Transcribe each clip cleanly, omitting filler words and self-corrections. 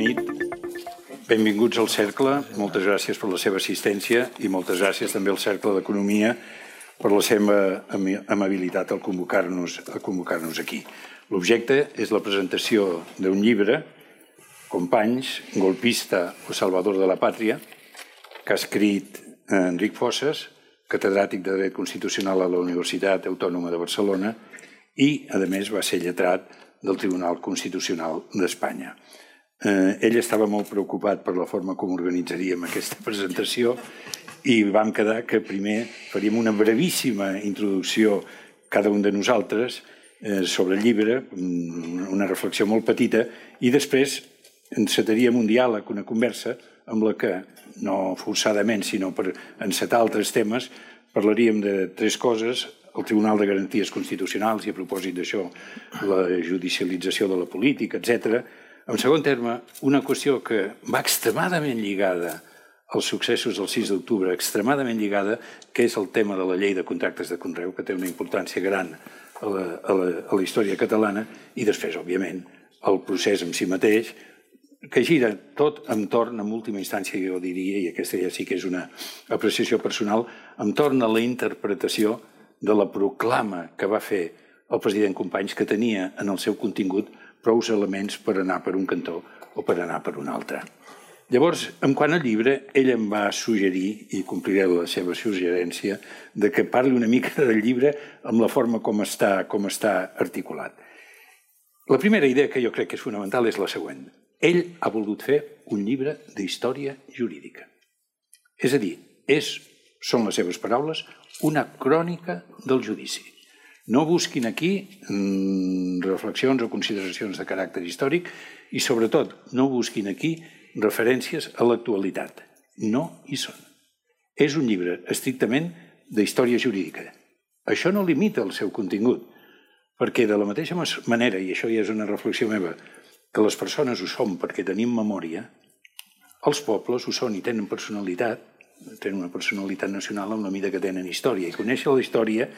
nit, benvinguts al Cercle, moltes gràcies per la seva assistència i moltes gràcies també al Cercle d'Economia per la seva amabilitat al convocar-nos aquí. L'objecte és la presentació d'un llibre, Companys, golpista o salvador de la pàtria, que ha escrit Enric Fossas, catedràtic de Dret Constitucional a la Universitat Autònoma de Barcelona i, a més, va ser lletrat del Tribunal Constitucional d'Espanya. Ell estava molt preocupat per la forma com organitzaríem aquesta presentació i vam quedar que primer faríem una brevíssima introducció cada un de nosaltres sobre el llibre, una reflexió molt petita, i després encetaríem un diàleg, una conversa, amb la que, no forçadament, sinó per encetar altres temes, parlaríem de tres coses: el Tribunal de Garanties Constitucionals, i a propòsit d'això, la judicialització de la política, etc. En segon terme, una qüestió que va extremadament lligada als successos del 6 d'octubre, extremadament lligada, que és el tema de la llei de contractes de conreu, que té una importància gran a la història catalana, i després, òbviament, el procés en si mateix, que gira tot entorn, en última instància, jo diria, i aquesta ja sí que és una apreciació personal, entorn a la interpretació de la proclama que va fer el president Companys, que tenia en el seu contingut prou elements per anar per un cantó o per anar per un altre. Llavors, en quant al llibre, ell em va suggerir, i compliré la seva suggerència, de que parli una mica del llibre amb la forma com està articulat. La primera idea que jo crec que és fonamental és la següent. Ell ha volgut fer un llibre d'història jurídica. És a dir, són les seves paraules, una crònica del judici. No busquin aquí reflexions o consideracions de caràcter històric i, sobretot, no busquin aquí referències a l'actualitat. No hi són. És un llibre estrictament d'història jurídica. Això no limita el seu contingut, perquè de la mateixa manera, i això ja és una reflexió meva, que les persones ho són perquè tenim memòria, els pobles ho són i tenen personalitat, tenen una personalitat nacional en la mida que tenen història, i conèixer la història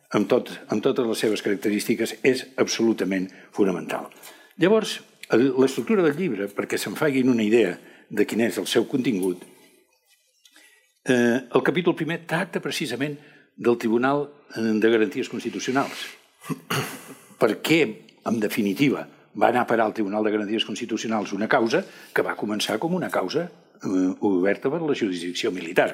amb totes les seves característiques és absolutament fonamental. Llavors, l'estructura del llibre, perquè se'n facin una idea de quin és el seu contingut, el capítol primer tracta precisament del Tribunal de Garanties Constitucionals. Per què, en definitiva, va anar a parar al Tribunal de Garanties Constitucionals una causa que va començar com una causa oberta per la jurisdicció militar.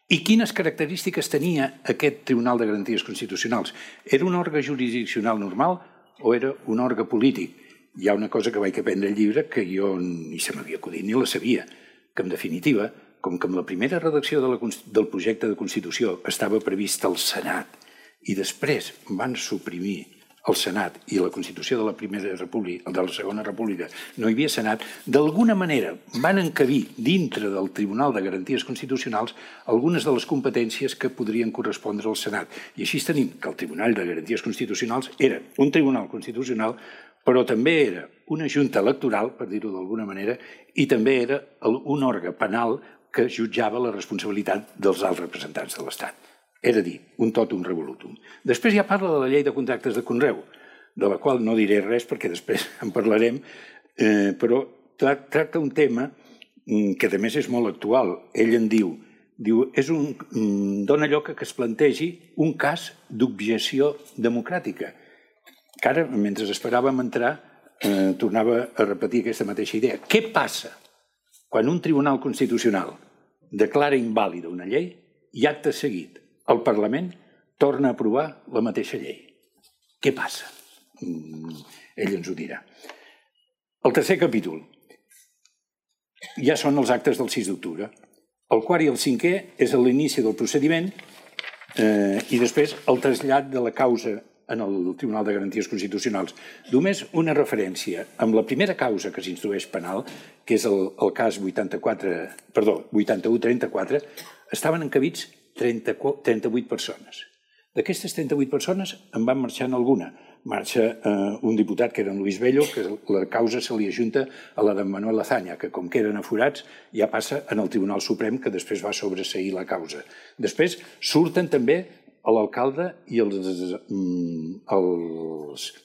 I quines característiques tenia aquest Tribunal de Garanties Constitucionals? Era un òrgan jurisdiccional normal o era un òrgan polític? Hi ha una cosa que vaig aprendre al llibre que jo ni se m'havia acudit ni la sabia, que en definitiva, com que amb la primera redacció del projecte de Constitució estava previst el Senat i després van suprimir el Senat i la Constitució de la Segona República no hi havia Senat, d'alguna manera van encabir dintre del Tribunal de Garanties Constitucionals algunes de les competències que podrien correspondre al Senat. I així tenim que el Tribunal de Garanties Constitucionals era un tribunal constitucional, però també era una junta electoral, per dir-ho d'alguna manera, i també era un òrgan penal que jutjava la responsabilitat dels alts representants de l'Estat. Era a dir, un totum revolutum. Després ja parla de la llei de contractes de conreu, de la qual no diré res perquè després en parlarem, però tracta un tema que a més és molt actual. Ell en diu, dona lloc que es plantegi un cas d'objecció democràtica. Que ara, mentre esperàvem entrar, tornava a repetir aquesta mateixa idea. Què passa quan un tribunal constitucional declara invàlida una llei i acte seguit el Parlament torna a aprovar la mateixa llei? Què passa? Ell ens ho dirà. El tercer capítol ja són els actes del 6 d'octubre. El quart i el cinquè és l'inici del procediment i després el trasllat de la causa en el Tribunal de Garanties Constitucionals. Només una referència. Amb la primera causa que s'instrueix penal, que és el cas 8134, estaven encabits 38 persones. D'aquestes 38 persones en van marxant alguna. Marxa un diputat, que era en Luis Bello, que la causa se li ajunta a la d'en Manuel Azaña, que com que eren aforats ja passa en el Tribunal Suprem, que després va sobreseir la causa. Després surten també l'alcalde i els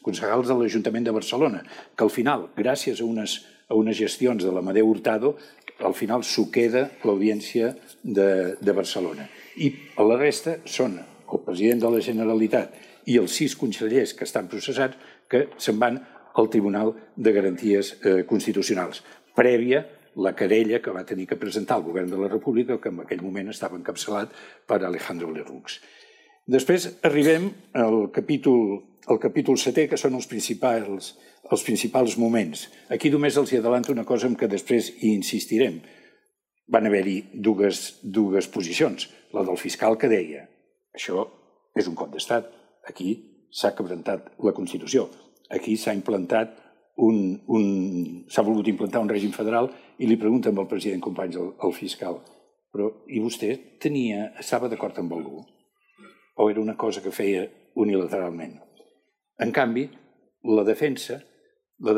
concejals de l'Ajuntament de Barcelona, que al final, gràcies a unes a unes gestions de l'Amadeu Hurtado, al final s'ho queda l'Audiència de Barcelona. I la resta són el president de la Generalitat i els 6 consellers que estan processats que se'n van al Tribunal de Garanties Constitucionals, prèvia la querella que va tenir que presentar el govern de la República, que en aquell moment estava encapçalat per Alejandro Lerroux. Després arribem al capítol 7è, que són els principals moments. Aquí només els adelanto una cosa en què després hi insistirem. Van haver-hi dues posicions. La del fiscal que deia això és un cop d'estat, aquí s'ha quebrantat la Constitució, aquí s'ha volgut implantar un règim federal i li pregunten al president Companys, al fiscal, però i vostè estava d'acord amb algú? O era una cosa que feia unilateralment? En canvi, la defensa que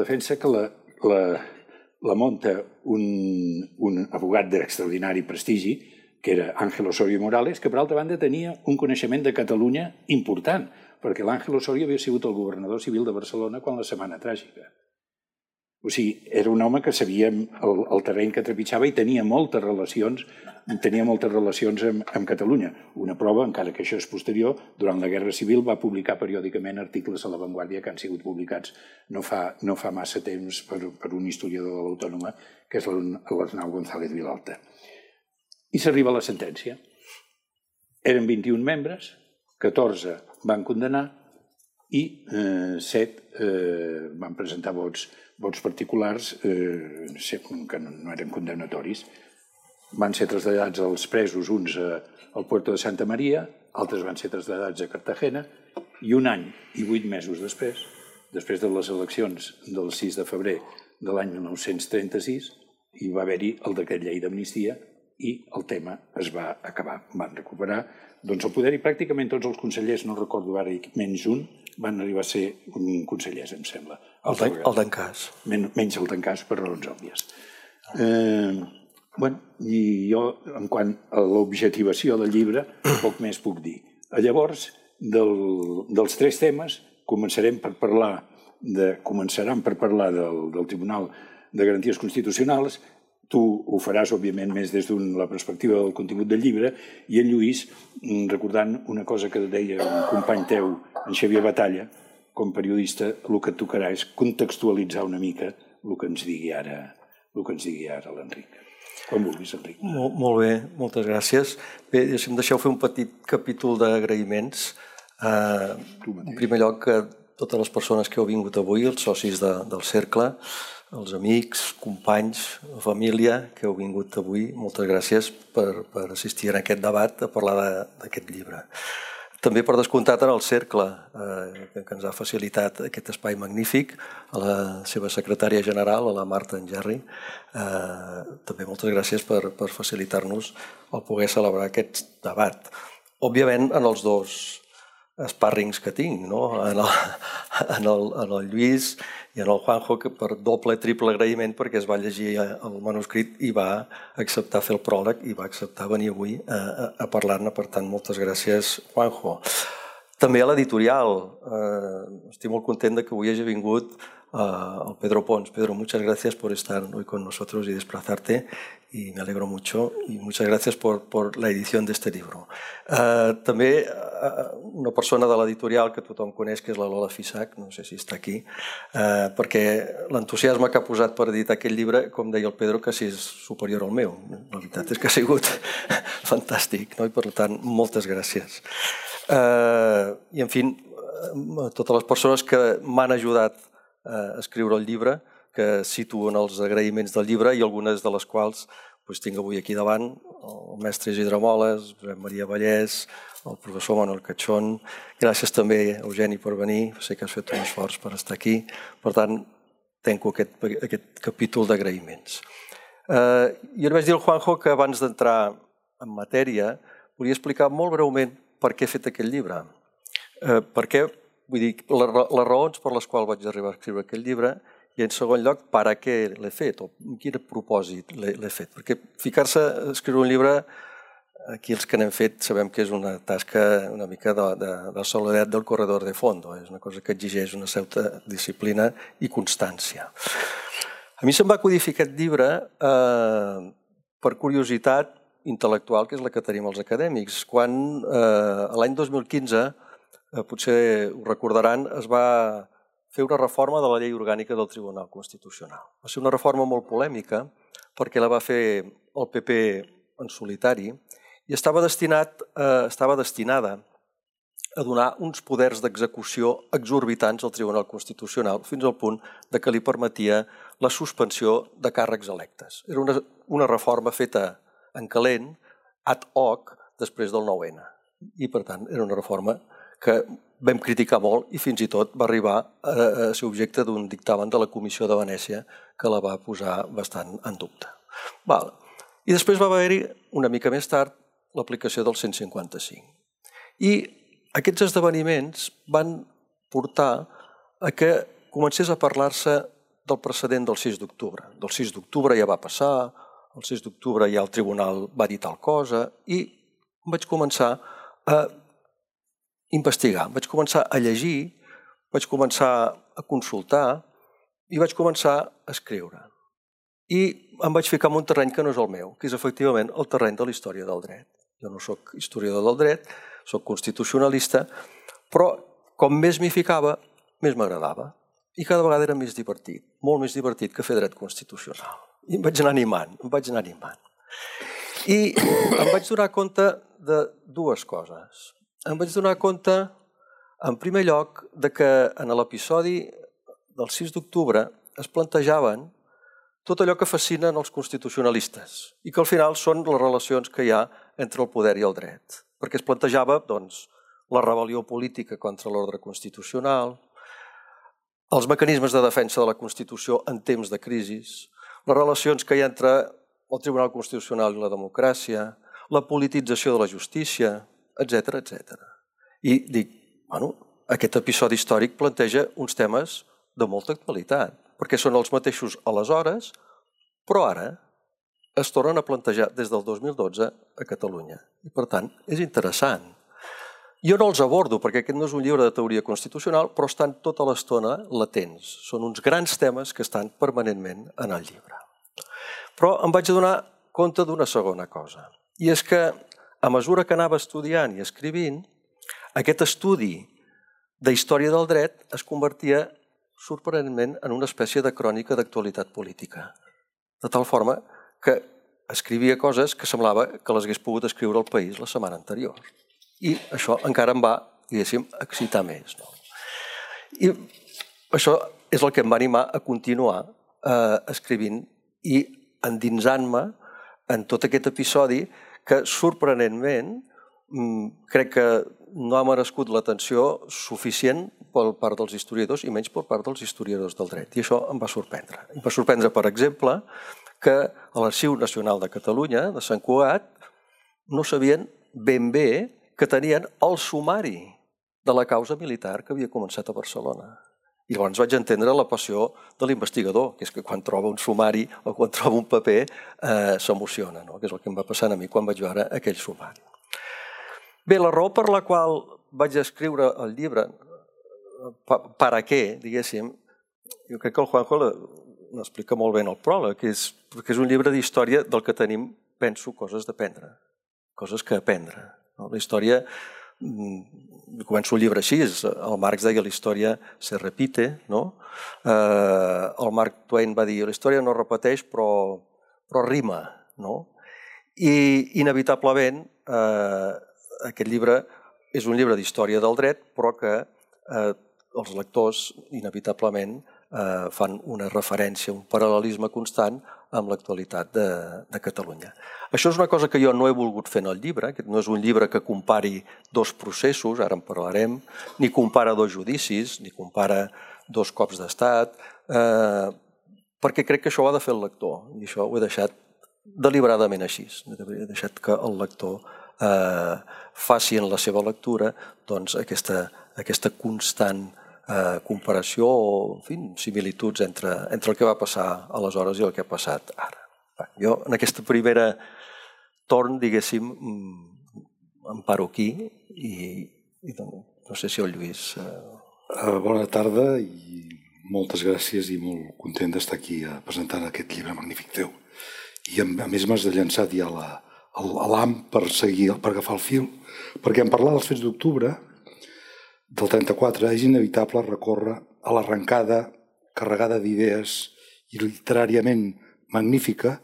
la munta un abogat d'extraordinari prestigi, que era Ángel Osorio Morales, que per altra banda tenia un coneixement de Catalunya important, perquè l'Ángel Osorio havia sigut el governador civil de Barcelona quan la Setmana Tràgica. O sigui, era un home que sabia el terreny que trepitjava i tenia moltes relacions amb Catalunya. Una prova, encara que això és posterior, durant la Guerra Civil va publicar periòdicament articles a La Vanguardia que han sigut publicats no fa massa temps per un historiador de l'Autònoma, que és l'Arnau González Vilalta. I s'arriba a la sentència. Eren 21 membres, 14 van condenar i 7 van presentar vots particulars que no eren condemnatoris. Van ser traslladats els presos, uns al Puerto de Santa Maria, altres van ser traslladats a Cartagena, i 1 any i 8 mesos després de les eleccions del 6 de febrer de l'any 1936, hi va haver-hi el decret llei d'amnistia i el tema es va acabar. Van recuperar el poder i pràcticament tots els consellers, no recordo ara, menys un, van arribar a ser consellers, em sembla. El d'Encàs. Menys el d'Encàs, per raons òbvies. I jo, en quant a l'objectivació del llibre, poc més puc dir. Llavors, dels 3 temes, començaran per parlar del Tribunal de Garanties Constitucionals. Tu ho faràs, òbviament, més des de la perspectiva del contingut del llibre, i en Lluís, recordant una cosa que deia un company teu, en Xavier Batalla, com a periodista, el que et tocarà és contextualitzar una mica el que ens digui ara l'Enric. Com vulguis, Enric. Molt bé, moltes gràcies. Bé, si em deixeu fer un petit capítol d'agraïments. En primer lloc, a totes les persones que heu vingut avui, els socis del Cercle, els amics, companys, família que heu vingut avui, moltes gràcies per assistir a aquest debat, a parlar d'aquest llibre. També per descomptat en el Cercle, que ens ha facilitat aquest espai magnífic, a la seva secretària general, a la Marta Engerri. També moltes gràcies per facilitar-nos el poder celebrar aquest debat. Òbviament, en els 2 espàrrings que tinc, en el Lluís i en el Juanjo, que per doble, triple agraïment, perquè es va llegir el manuscrit i va acceptar fer el pròleg i va acceptar venir avui a parlar-ne. Per tant, moltes gràcies, Juanjo. També a l'editorial. Estic molt content que avui hagi vingut el Pedro Pons. Pedro, muchas gracias por estar hoy con nosotros y desplazarte, y me alegro mucho, y muchas gracias por la edición de este libro. També una persona de l'editorial que tothom coneix, que és la Lola Fisac, no sé si està aquí, perquè l'entusiasme que ha posat per editar aquest llibre, com deia el Pedro, quasi és superior al meu. La veritat és que ha sigut fantàstic, i per tant, moltes gràcies. I, en fi, a totes les persones que m'han ajudat a escriure el llibre, que situen els agraïments del llibre i algunes de les quals tinc avui aquí davant, el mestre Isidre Moles, Josep Maria Vallès, el professor Manuel Cachón. Gràcies també, Eugeni, per venir. Sé que has fet un esforç per estar aquí. Per tant, tanco aquest capítol d'agraïments. Jo li vaig dir al Juanjo que abans d'entrar en matèria volia explicar molt breument per què he fet aquest llibre. Per què? Vull dir, les raons per les quals vaig arribar a escriure aquest llibre, i en segon lloc, per a què l'he fet, o amb quin propòsit l'he fet. Perquè ficar-se a escriure un llibre, aquí els que n'hem fet sabem que és una tasca una mica de soledat del corredor de fondo, és una cosa que exigeix una certa disciplina i constància. A mi se'm va acudir fer aquest llibre per curiositat intel·lectual, que és la que tenim els acadèmics. Quan l'any 2015, potser ho recordaran, es va fer una reforma de la llei orgànica del Tribunal Constitucional. Va ser una reforma molt polèmica perquè la va fer el PP en solitari i estava destinada a donar uns poders d'execució exorbitants al Tribunal Constitucional fins al punt que li permetia la suspensió de càrrecs electes. Era una reforma feta en calent, ad hoc, després del 9-N. I, per tant, era una reforma que vam criticar molt i fins i tot va arribar a ser objecte d'un dictamen de la Comissió de Venècia que la va posar bastant en dubte. I després va haver-hi, una mica més tard, l'aplicació del 155. I aquests esdeveniments van portar a que comencés a parlar-se del precedent del 6 d'octubre. Del 6 d'octubre ja va passar, el 6 d'octubre ja el tribunal va dir tal cosa i vaig començar a investigar, vaig començar a llegir, vaig començar a consultar i vaig començar a escriure. I em vaig ficar en un terreny que no és el meu, que és efectivament el terreny de la història del dret. Jo no soc historiador del dret, soc constitucionalista, però com més m'hi ficava, més m'agradava. I cada vegada era més divertit, molt més divertit que fer dret constitucional. I em vaig anar animant. I em vaig donar compte de dues coses. Em vaig donar compte, en primer lloc, que en l'episodi del 6 d'octubre es plantejaven tot allò que fascinen els constitucionalistes i que al final són les relacions que hi ha entre el poder i el dret. Perquè es plantejava la rebel·lió política contra l'ordre constitucional, els mecanismes de defensa de la Constitució en temps de crisi, les relacions que hi ha entre el Tribunal Constitucional i la democràcia, la politització de la justícia, etc. I dic, aquest episodi històric planteja uns temes de molta actualitat, perquè són els mateixos aleshores, però ara es tornen a plantejar des del 2012 a Catalunya. I, per tant, és interessant. Jo no els abordo, perquè aquest no és un llibre de teoria constitucional, però estan tota l'estona latents. Són uns grans temes que estan permanentment en el llibre. Però em vaig adonar compte d'una segona cosa. I és que, a mesura que anava estudiant i escrivint, aquest estudi de història del dret es convertia sorprenentment en una espècie de crònica d'actualitat política. De tal forma que escrivia coses que semblava que les hagués pogut escriure al País la setmana anterior. I això encara em va, diguéssim, excitar més. I això és el que em va animar a continuar escrivint i endinsant-me en tot aquest episodi que, sorprenentment, crec que no ha merescut l'atenció suficient per part dels historiadors i menys per part dels historiadors del dret. I això em va sorprendre. Em va sorprendre, per exemple, que a l'Arxiu Nacional de Catalunya, de Sant Cugat, no sabien ben bé que tenien el sumari de la causa militar que havia començat a Barcelona. I llavors vaig entendre la passió de l'investigador, que és que quan troba un sumari o quan troba un paper s'emociona, que és el que em va passar a mi quan vaig veure aquell sumari. Bé, la raó per la qual vaig escriure el llibre, per a què, diguéssim, jo crec que el Juanjo l'explica molt bé en el pròleg, que és un llibre d'història del que tenim, penso, coses d'aprendre, coses que aprendre. La història, començo el llibre així, el Marx deia la història se repite, el Mark Twain va dir la història no repeteix però rima, i inevitablement aquest llibre és un llibre d'història del dret, però que els lectors inevitablement fan una referència, un paral·lelisme constant amb l'actualitat de Catalunya. Això és una cosa que jo no he volgut fer en el llibre, aquest no és un llibre que compari dos processos, ara en parlarem, ni compara dos judicis, ni compara dos cops d'estat, perquè crec que això ho ha de fer el lector, i això ho he deixat deliberadament així. He deixat que el lector faci en la seva lectura aquesta constant comparació o similituds entre el que va passar aleshores i el que ha passat ara. Jo en aquesta primera torn, diguéssim, em paro aquí i no sé si el Lluís... Bona tarda i moltes gràcies i molt content d'estar aquí presentant aquest llibre magnífic teu. I a més m'has de llançar ja l'ham per seguir, per agafar el fil, perquè en parlar dels fets d'octubre del 34 és inevitable recórrer a l'arrencada carregada d'idees i literàriament magnífica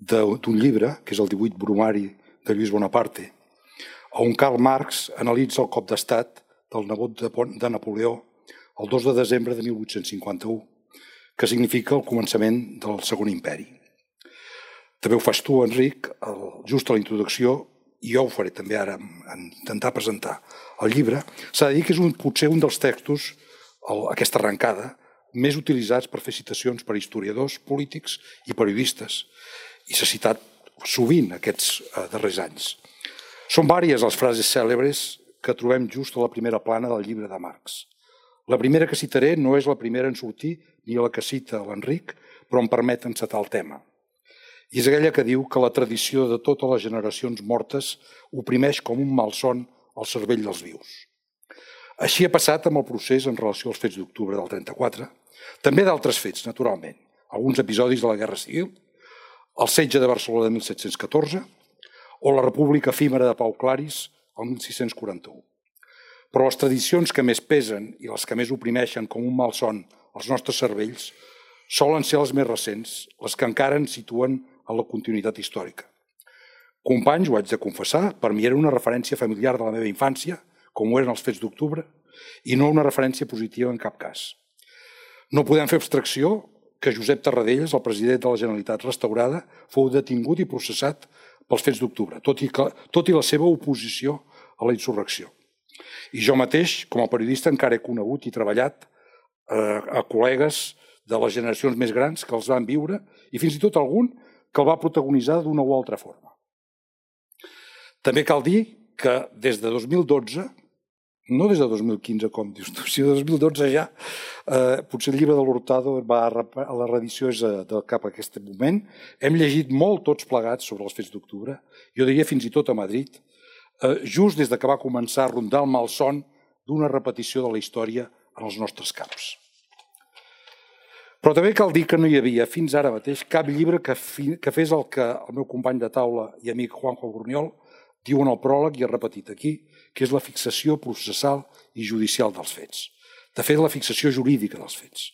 d'un llibre, que és el 18 Bromari de Lluís Bonaparte, on Karl Marx analitza el cop d'estat del nebot de Napoleó el 2 de desembre de 1851, que significa el començament del Segon Imperi. També ho fas tu, Enric, just a la introducció, i jo ho faré també ara en intentar presentar el llibre. S'ha de dir que és potser un dels textos, aquesta arrencada, més utilitzats per fer citacions per historiadors, polítics i periodistes, i s'ha citat sovint aquests darrers anys. Són vàries les frases cèlebres que trobem just a la primera plana del llibre de Marx. La primera que citaré no és la primera en sortir ni la que cita l'Enric, però em permet encetar el tema. I és aquella que diu que la tradició de totes les generacions mortes oprimeix com un malson el cervell dels vius. Així ha passat amb el procés en relació als fets d'octubre del 34, també d'altres fets, naturalment, alguns episodis de la Guerra Civil, el setge de Barcelona de 1714 o la República efímera de Pau Claris el 1641. Però les tradicions que més pesen i les que més oprimeixen com un malson els nostres cervells solen ser les més recents, les que encara ens situen en la continuïtat històrica. Companys, ho haig de confessar, per mi era una referència familiar de la meva infància, com ho eren els fets d'octubre, i no una referència positiva en cap cas. No podem fer abstracció que Josep Tarradellas, el president de la Generalitat restaurada, fou detingut i processat pels fets d'octubre, tot i la seva oposició a la insurrecció. I jo mateix, com a periodista, encara he conegut i treballat a col·legues de les generacions més grans que els van viure i fins i tot algun que el va protagonitzar d'una o altra forma. També cal dir que des de 2012, no des de 2015 com dius tu, sinó de 2012 ja, potser el llibre de l'Hurtado a la reedició és cap a aquest moment, hem llegit molt tots plegats sobre els fets d'octubre, jo diria fins i tot a Madrid, just des que va començar a rondar el malson d'una repetició de la història en els nostres caps. Però també cal dir que no hi havia, fins ara mateix, cap llibre que fes el que el meu company de taula i amic Juanjo Burniol diu en el pròleg i ha repetit aquí, que és la fixació processal i judicial dels fets. De fet, la fixació jurídica dels fets.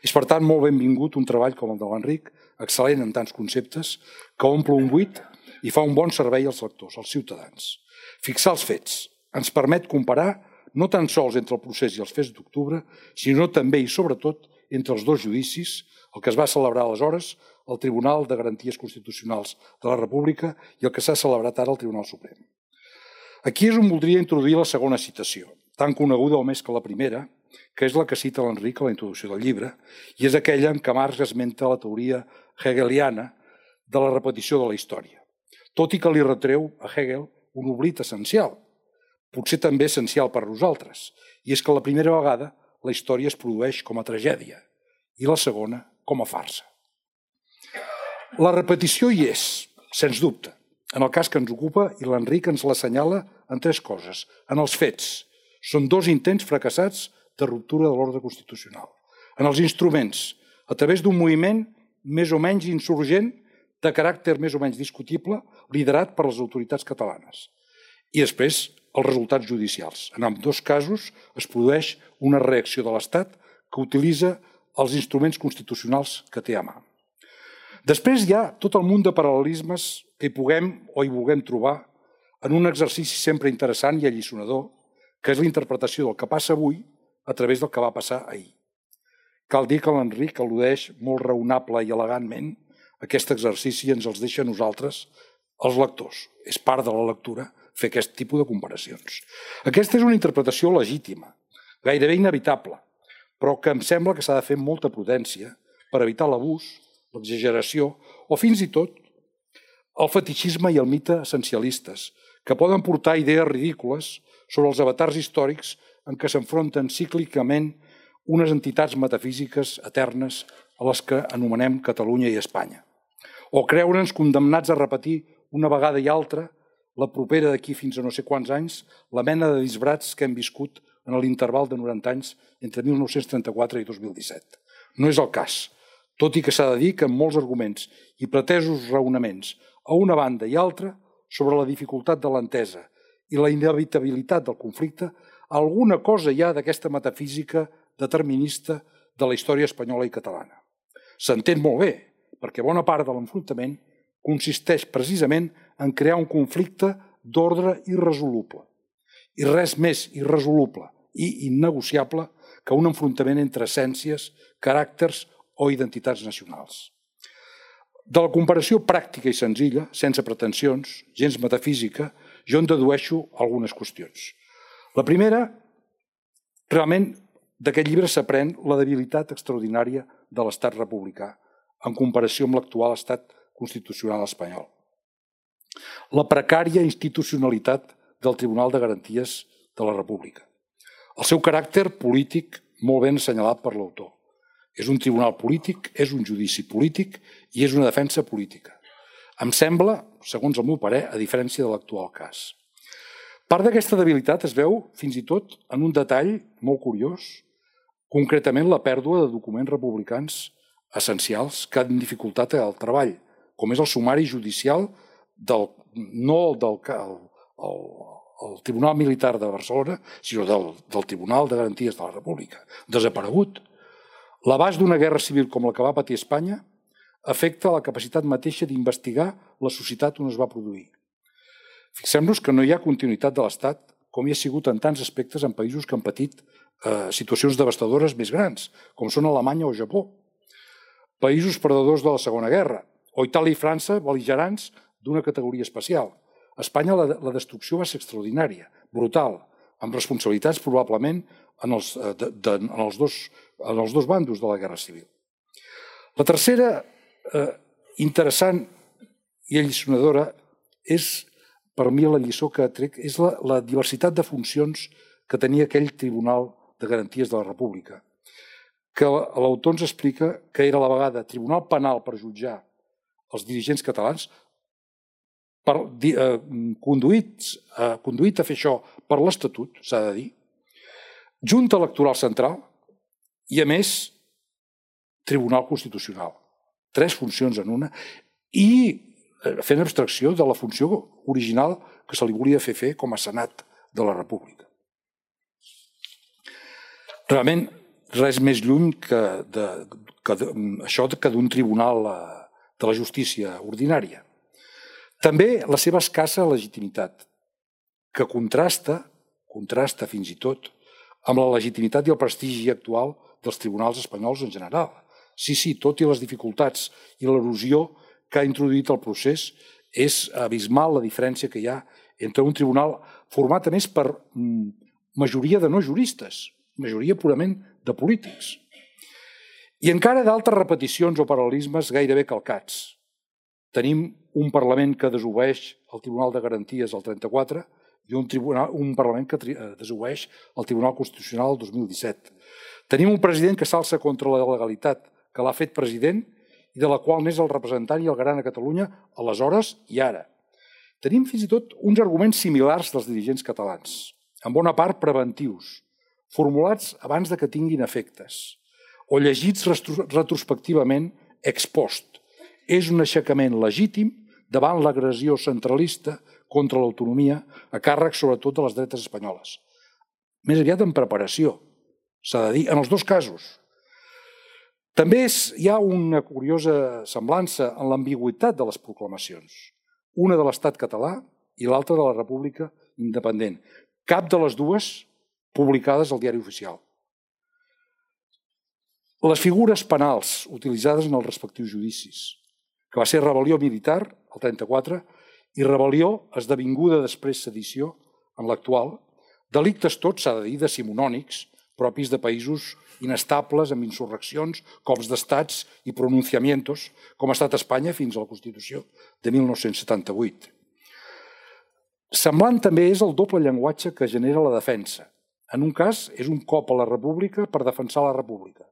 És, per tant, molt benvingut un treball com el de l'Enric, excel·lent en tants conceptes, que omple un buit i fa un bon servei als lectors, als ciutadans. Fixar els fets ens permet comparar no tan sols entre el procés i els fets d'octubre, sinó també i sobretot entre els dos judicis, el que es va celebrar aleshores al Tribunal de Garanties Constitucionals de la República i el que s'ha celebrat ara al Tribunal Suprem. Aquí és on voldria introduir la segona citació, tan coneguda o més que la primera, que és la que cita l'Enric a la introducció del llibre, i és aquella en què Marx esmenta la teoria hegeliana de la repetició de la història, tot i que li retreu a Hegel un oblit essencial, potser també essencial per a nosaltres, i és que la primera vegada la història es produeix com a tragèdia i la segona com a farsa. La repetició hi és, sens dubte, en el cas que ens ocupa, i l'Enric ens l'assenyala en tres coses. En els fets, són dos intents fracassats de ruptura de l'ordre constitucional. En els instruments, a través d'un moviment més o menys insurgent, de caràcter més o menys discutible, liderat per les autoritats catalanes. I després, els resultats judicials. En ambdós casos es produeix una reacció de l'Estat que utilitza els instruments constitucionals que té a mà. Després hi ha tot el munt de paral·lelismes que hi puguem o hi vulguem trobar en un exercici sempre interessant i alliçonador, que és la interpretació del que passa avui a través del que va passar ahir. Cal dir que l'Enric al·ludeix molt raonable i elegantment aquest exercici i ens els deixa a nosaltres, els lectors. És part de la lectura fer aquest tipus de comparacions. Aquesta és una interpretació legítima, gairebé inevitable, però que em sembla que s'ha de fer amb molta prudència per evitar l'abús, l'exageració o fins i tot el fetitxisme i el mite essencialistes, que poden portar idees ridícules sobre els avatars històrics en què s'enfronten cíclicament unes entitats metafísiques eternes a les que anomenem Catalunya i Espanya. O creure'ns condemnats a repetir una vegada i altra, la propera d'aquí fins a no sé quants anys, la mena de disbrats que hem viscut en l'interval de 90 anys entre 1934 i 2017. No és el cas, tot i que s'ha de dir que amb molts arguments i pretesos raonaments a una banda i altra sobre la dificultat de l'entesa i la inevitabilitat del conflicte, alguna cosa hi ha d'aquesta metafísica determinista de la història espanyola i catalana. S'entén molt bé, perquè bona part de l'enfrontament consisteix precisament en crear un conflicte d'ordre irresoluble. I res més irresoluble i innegociable que un enfrontament entre essències, caràcters o identitats nacionals. De la comparació pràctica i senzilla, sense pretensions, gens metafísica, jo en dedueixo algunes qüestions. La primera, realment, d'aquest llibre s'aprèn la debilitat extraordinària de l'estat republicà en comparació amb l'actual estat constitucional espanyol. La precària institucionalitat del Tribunal de Garanties de la República. El seu caràcter polític molt ben assenyalat per l'autor. És un tribunal polític, és un judici polític i és una defensa política. Em sembla, segons el meu parer, a diferència de l'actual cas. Part d'aquesta debilitat es veu fins i tot en un detall molt curiós, concretament la pèrdua de documents republicans essencials que han dificultat el treball, com és el sumari judicial no del Tribunal Militar de Barcelona, sinó del Tribunal de Garanties de la República, desaparegut. L'abast d'una guerra civil com la que va patir Espanya afecta la capacitat mateixa d'investigar la societat on es va produir. Fixem-nos que no hi ha continuïtat de l'Estat, com hi ha sigut en tants aspectes en països que han patit situacions devastadores més grans, com són Alemanya o Japó. Països perdedors de la Segona Guerra, o Itàlia i França bel·ligerants d'una categoria especial. A Espanya la destrucció va ser extraordinària, brutal, amb responsabilitats probablement en els dos bandos de la Guerra Civil. La tercera, interessant i alliçonadora, és, per mi, la lliçó que trec, és la diversitat de funcions que tenia aquell Tribunal de Garanties de la República, que l'autor ens explica que era a la vegada tribunal penal per jutjar els dirigents catalans, conduït a fer això per l'Estatut, s'ha de dir, Junta Electoral Central i, a més, Tribunal Constitucional. 3 funcions en una i fent abstracció de la funció original que se li volia fer com a Senat de la República. Realment, res més lluny que això que d'un tribunal de la justícia ordinària. També la seva escassa legitimitat, que contrasta fins i tot amb la legitimitat i el prestigi actual dels tribunals espanyols en general. Sí, tot i les dificultats i l'erosió que ha introduït el procés, és abismal la diferència que hi ha entre un tribunal format, a més, per majoria de no juristes, majoria purament de polítics. I encara d'altres repeticions o paral·lelismes gairebé calcats. Tenim un Parlament que desobeeix el Tribunal de Garanties el 34 i un Parlament que desobeeix el Tribunal Constitucional el 2017. Tenim un president que s'alça contra la legalitat que l'ha fet president i de la qual n'és el representant i el garant a Catalunya aleshores i ara. Tenim fins i tot uns arguments similars dels dirigents catalans, en bona part preventius, formulats abans que tinguin efectes, o llegits retrospectivament ex post. És un aixecament legítim davant l'agressió centralista contra l'autonomia a càrrec sobretot de les dretes espanyoles. Més aviat en preparació, s'ha de dir, en els dos casos. També hi ha una curiosa semblança en l'ambigüitat de les proclamacions, una de l'estat català i l'altra de la República independent, cap de les dues publicades al Diari Oficial. Les figures penals utilitzades en els respectius judicis, que va ser rebel·lió militar, el 34, i rebel·lió esdevinguda després sedició, en l'actual, delictes tots, s'ha de dir, decimonònics, propis de països inestables, amb insurreccions, cops d'estats i pronunciamientos, com ha estat Espanya fins a la Constitució de 1978. Semblant també és el doble llenguatge que genera la defensa. En un cas, és un cop a la República per defensar la República.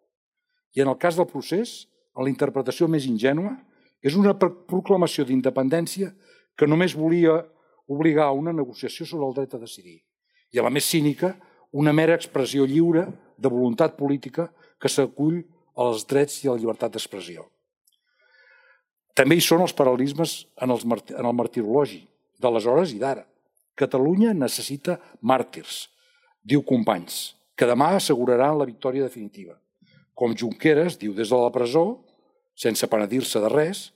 I en el cas del procés, en la interpretació més ingènua, és una proclamació d'independència que només volia obligar a una negociació sobre el dret a decidir. I a la més cínica, una mera expressió lliure de voluntat política que s'acull als drets i a la llibertat d'expressió. També hi són els paral·lelismes en el martirologi, d'aleshores i d'ara. Catalunya necessita màrtirs, diu Companys, que demà asseguraran la victòria definitiva. Com Junqueras diu des de la presó, sense penedir-se de res,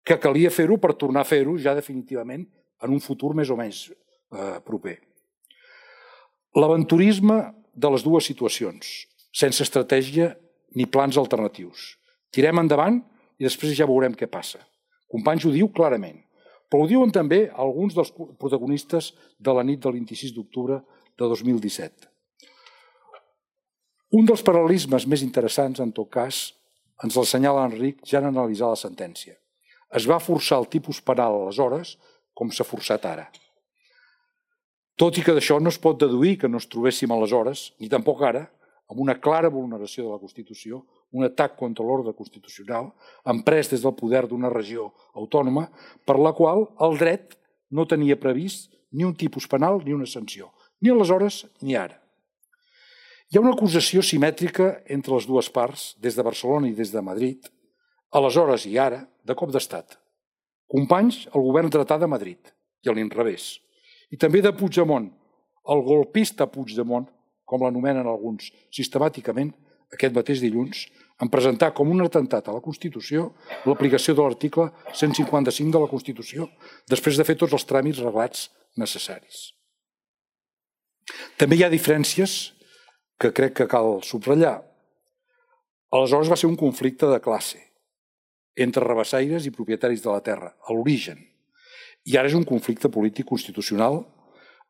que calia fer-ho per tornar a fer-ho ja definitivament en un futur més o menys proper. L'aventurisme de les dues situacions, sense estratègia ni plans alternatius. Tirem endavant i després ja veurem què passa. Companys ho diu clarament, però ho diuen també alguns dels protagonistes de la nit del 26 d'octubre de 2017. Un dels paral·lelismes més interessants, en tot cas, ens l'assenyala Enric ja en analitzar la sentència. Es va forçar el tipus penal aleshores com s'ha forçat ara. Tot i que d'això no es pot deduir que no ens trobéssim aleshores, ni tampoc ara, amb una clara vulneració de la Constitució, un atac contra l'ordre constitucional, emprès des del poder d'una regió autònoma, per la qual el dret no tenia previst ni un tipus penal ni una sanció, ni aleshores ni ara. Hi ha una acusació simètrica entre les dues parts, des de Barcelona i des de Madrid, aleshores i ara, de cop d'estat. Companys, el govern dretà de Madrid, i a l'inrevés. I també de Puigdemont, el golpista Puigdemont, com l'anomenen alguns sistemàticament, aquest mateix dilluns, en presentar com un atemptat a la Constitució l'aplicació de l'article 155 de la Constitució, després de fer tots els tràmits reglats necessaris. També hi ha diferències que crec que cal subratllar. Aleshores va ser un conflicte de classe entre rabassaires i propietaris de la terra, a l'origen. I ara és un conflicte polític constitucional,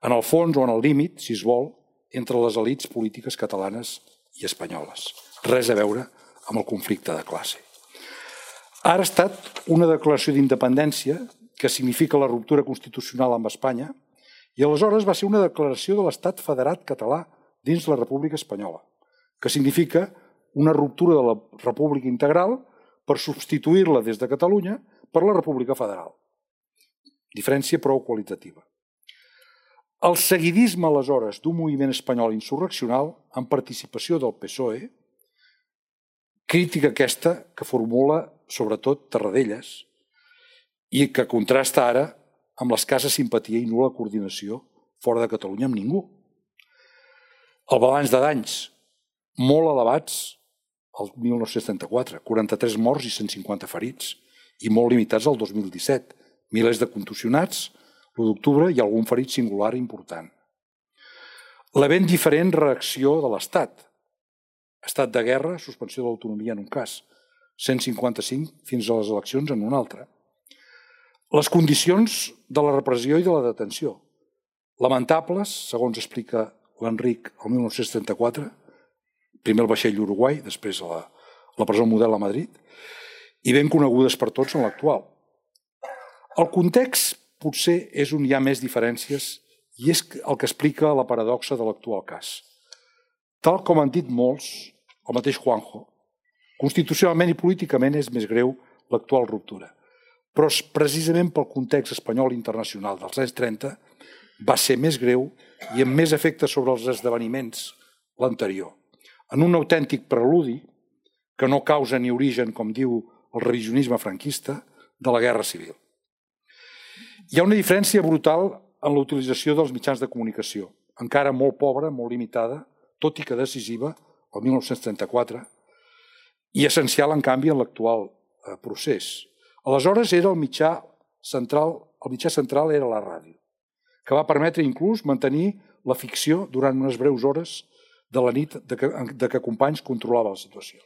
en el fons o en el límit, si es vol, entre les elits polítiques catalanes i espanyoles. Res a veure amb el conflicte de classe. Ara ha estat una declaració d'independència que significa la ruptura constitucional amb Espanya i aleshores va ser una declaració de l'Estat federat català dins la República Espanyola, que significa una ruptura de la República integral per substituir-la des de Catalunya per la República Federal. Diferència prou qualitativa. El seguidisme, aleshores, d'un moviment espanyol insurreccional amb participació del PSOE, crítica aquesta que formula sobretot Tarradellas i que contrasta ara amb l'escassa simpatia i nul·la coordinació fora de Catalunya amb ningú. El balanç de danys molt elevats el 1974, 43 morts i 150 ferits, i molt limitats al 2017, milers de contusionats, l'1 d'octubre i algun ferit singular important. La ben diferent reacció de l'Estat. Estat de guerra, suspensió de l'autonomia en un cas, 155 fins a les eleccions en un altre. Les condicions de la repressió i de la detenció. Lamentables, segons explica l'Enric el 1974, primer el vaixell Uruguai, després la presó model a Madrid, i ben conegudes per tots en l'actual. El context potser és on hi ha més diferències i és el que explica la paradoxa de l'actual cas. Tal com han dit molts, el mateix Juanjo, constitucionalment i políticament és més greu l'actual ruptura, però precisament pel context espanyol i internacional dels anys 30 va ser més greu i amb més efecte sobre els esdeveniments l'anterior, en un autèntic preludi que no causa ni origen, com diu el revisionisme franquista, de la guerra civil. Hi ha una diferència brutal en la utilització dels mitjans de comunicació, encara molt pobra, molt limitada, tot i que decisiva, el 1934, i essencial, en canvi, en l'actual procés. Aleshores era el mitjà central era la ràdio, que va permetre inclús mantenir la ficció durant unes breus hores de la nit de que Companys controlava la situació.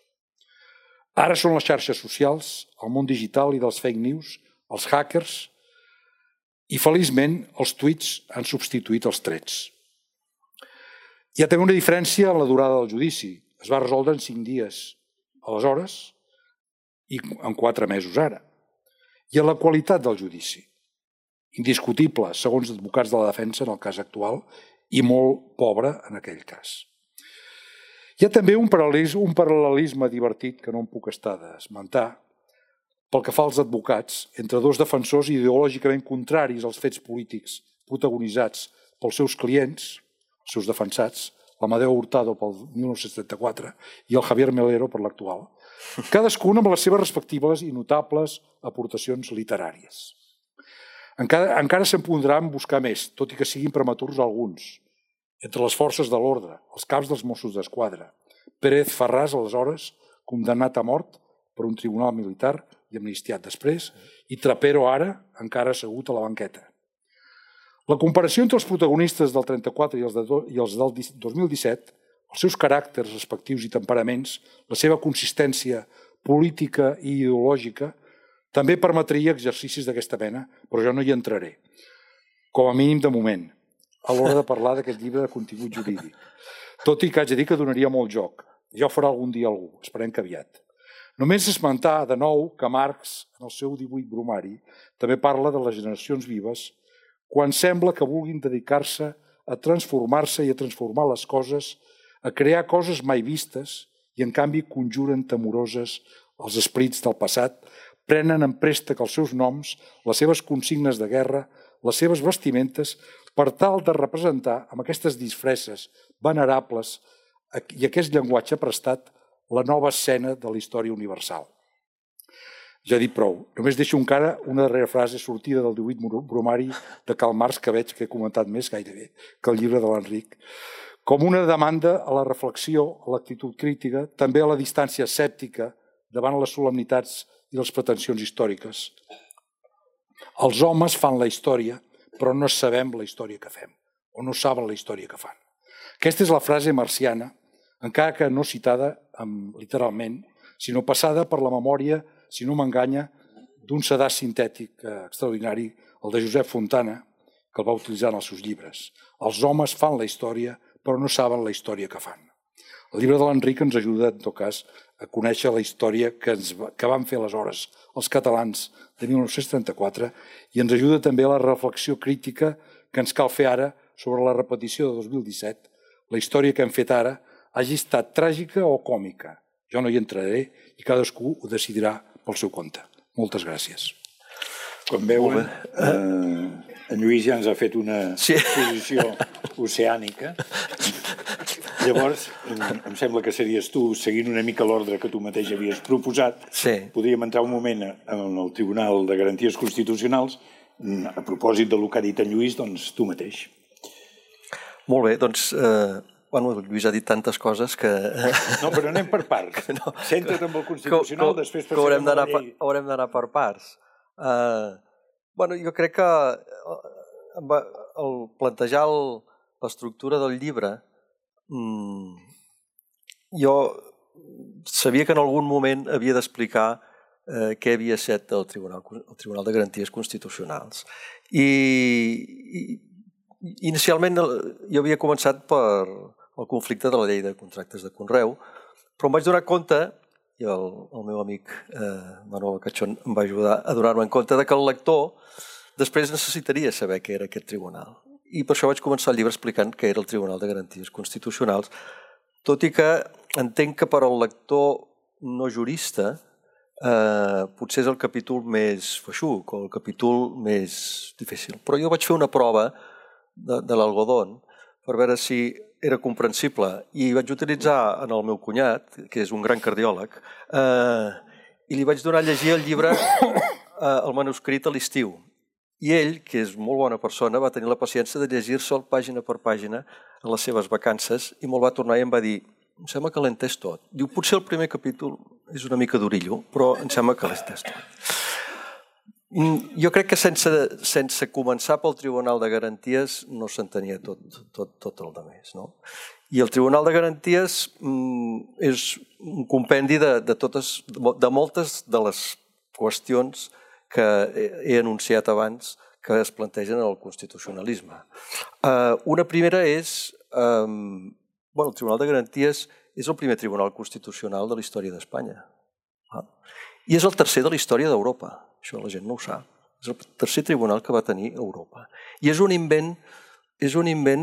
Ara són les xarxes socials, el món digital i dels fake news, els hackers, i feliçment els tuits han substituït els trets. Hi ha també una diferència en la durada del judici. Es va resoldre en 5 dies aleshores i en 4 mesos ara. I en la qualitat del judici. Indiscutible, segons advocats de la defensa en el cas actual, i molt pobre en aquell cas. Hi ha també un paral·lelisme divertit que no em puc estar d'esmentar pel que fa als advocats, entre dos defensors ideològicament contraris als fets polítics protagonitzats pels seus clients, els seus defensats, l'Amadeo Hurtado pel 1974 i el Javier Melero per l'actual, cadascun amb les seves respectives i notables aportacions literàries. Encara se'n podran buscar més, tot i que siguin prematurs alguns, entre les forces de l'ordre, els caps dels Mossos d'Esquadra, Pérez Farràs, aleshores, condemnat a mort per un tribunal militar i amnistiat després, i Trapero ara, encara assegut a la banqueta. La comparació entre els protagonistes del 34 i els del 2017, els seus caràcters respectius i temperaments, la seva consistència política i ideològica, també permetria exercicis d'aquesta mena, però jo no hi entraré, com a mínim de moment, a l'hora de parlar d'aquest llibre de contingut jurídic. Tot i que haig de dir que donaria molt joc. Ja ho farà algun dia algú, esperem que aviat. Només esmentar de nou que Marx, en el seu 18 Bromari, també parla de les generacions vives quan sembla que vulguin dedicar-se a transformar-se i a transformar les coses, a crear coses mai vistes i, en canvi, conjuren temoroses els esprits del passat, prenen en préstec els seus noms, les seves consignes de guerra, les seves vestimentes, per tal de representar amb aquestes disfresses venerables i aquest llenguatge prestat la nova escena de la història universal. Ja he dit prou. Només deixo encara una darrera frase sortida del 18 Bromari de Karl Marx, que veig que he comentat més gairebé que el llibre de l'Enric, com una demanda a la reflexió, a l'actitud crítica, també a la distància escèptica davant les solemnitats i les pretensions històriques. Els homes fan la història, però no sabem la història que fem, o no saben la història que fan. Aquesta és la frase marciana, encara que no citada literalment, sinó passada per la memòria, si no m'enganya, d'un sedàs sintètic extraordinari, el de Josep Fontana, que el va utilitzar en els seus llibres. Els homes fan la història, però no saben la història que fan. El llibre de l'Enric ens ajuda, en tot cas, a conèixer la història que van fer aleshores els catalans de 1934 i ens ajuda també a la reflexió crítica que ens cal fer ara sobre la repetició de 2017. La història que hem fet ara hagi estat tràgica o còmica. Jo no hi entraré i cadascú ho decidirà pel seu compte. Moltes gràcies. Com veuen, en Lluís ja ens ha fet una exposició oceànica. Llavors, em sembla que series tu, seguint una mica l'ordre que tu mateix havies proposat, podríem entrar un moment en el Tribunal de Garanties Constitucionals. A propòsit del que ha dit en Lluís, doncs tu mateix. Molt bé, doncs... Bueno, el Lluís ha dit tantes coses que... No, però anem per parts. Centra't amb el Constitucional, després passarem a la llei. Haurem d'anar per parts. Bueno, jo crec que al plantejar l'estructura del llibre, jo sabia que en algun moment havia d'explicar què havia estat el Tribunal de Garanties Constitucionals. I inicialment jo havia començat per el conflicte de la llei de contractes de conreu, però em vaig donar compte, i el meu amic Manuel Cachón em va ajudar a donar-me compte, que el lector després necessitaria saber què era aquest tribunal. I per això vaig començar el llibre explicant què era el Tribunal de Garanties Constitucionals, tot i que entenc que per al lector no jurista potser és el capítol més feixuc o el capítol més difícil. Però jo vaig fer una prova de l'algodón per veure si era comprensible i vaig utilitzar en el meu cunyat, que és un gran cardiòleg, i li vaig donar a llegir el llibre, el manuscrit a l'estiu. I ell, que és molt bona persona, va tenir la paciència de llegir-se'l pàgina per pàgina a les seves vacances i me'l va tornar i em va dir: em sembla que l'he entès tot. Diu, potser el primer capítol és una mica d'orillo, però em sembla que l'he entès tot. Jo crec que sense començar pel Tribunal de Garanties no s'entenia tot el demés. I el Tribunal de Garanties és un compendi de moltes de les qüestions que he anunciat abans que es plantegen en el constitucionalisme. Una primera és... El Tribunal de Garanties és el primer tribunal constitucional de la història d'Espanya. I és el tercer de la història d'Europa. Això la gent no ho sap. És el tercer tribunal que va tenir Europa. I és un invent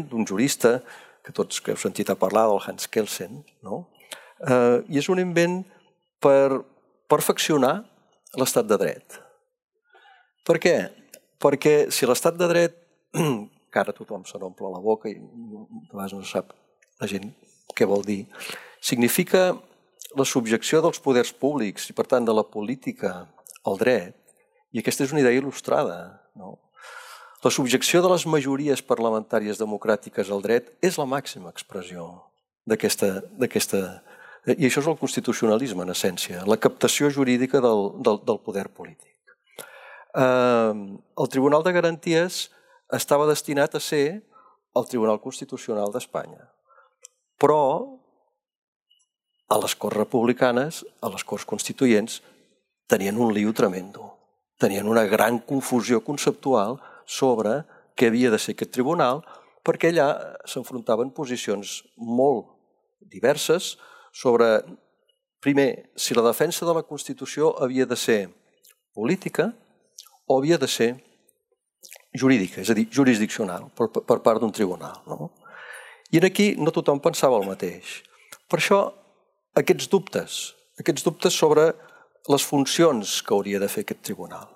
d'un jurista, que tots que heu sentit a parlar, del Hans Kelsen, i és un invent per perfeccionar l'estat de dret. Per què? Perquè si l'estat de dret, que ara tothom se n'omple la boca i a vegades no sap la gent què vol dir, significa la subjecció dels poders públics i, per tant, de la política al dret, i aquesta és una idea il·lustrada, no? La subjecció de les majories parlamentàries democràtiques al dret és la màxima expressió d'aquesta... I això és el constitucionalisme, en essència, la captació jurídica del poder polític. El Tribunal de Garanties estava destinat a ser el Tribunal Constitucional d'Espanya, però a les Corts Republicanes, a les Corts Constituents, tenien un lío tremendo. Tenien una gran confusió conceptual sobre què havia de ser aquest tribunal, perquè allà s'enfrontaven posicions molt diverses sobre, primer, si la defensa de la Constitució havia de ser política o havia de ser jurídica, és a dir, jurisdiccional, per part d'un tribunal. No? I aquí no tothom pensava el mateix. Per això, aquests dubtes sobre les funcions que hauria de fer aquest tribunal.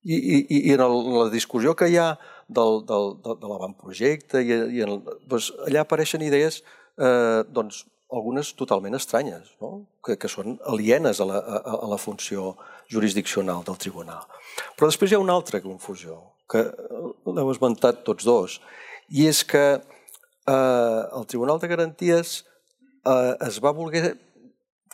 I en la discussió que hi ha de l'avantprojecte, allà apareixen idees, algunes totalment estranyes, que són alienes a la funció jurisdiccional del tribunal. Però després hi ha una altra confusió, que l'heu esmentat tots dos, i és que el Tribunal de Garanties es va voler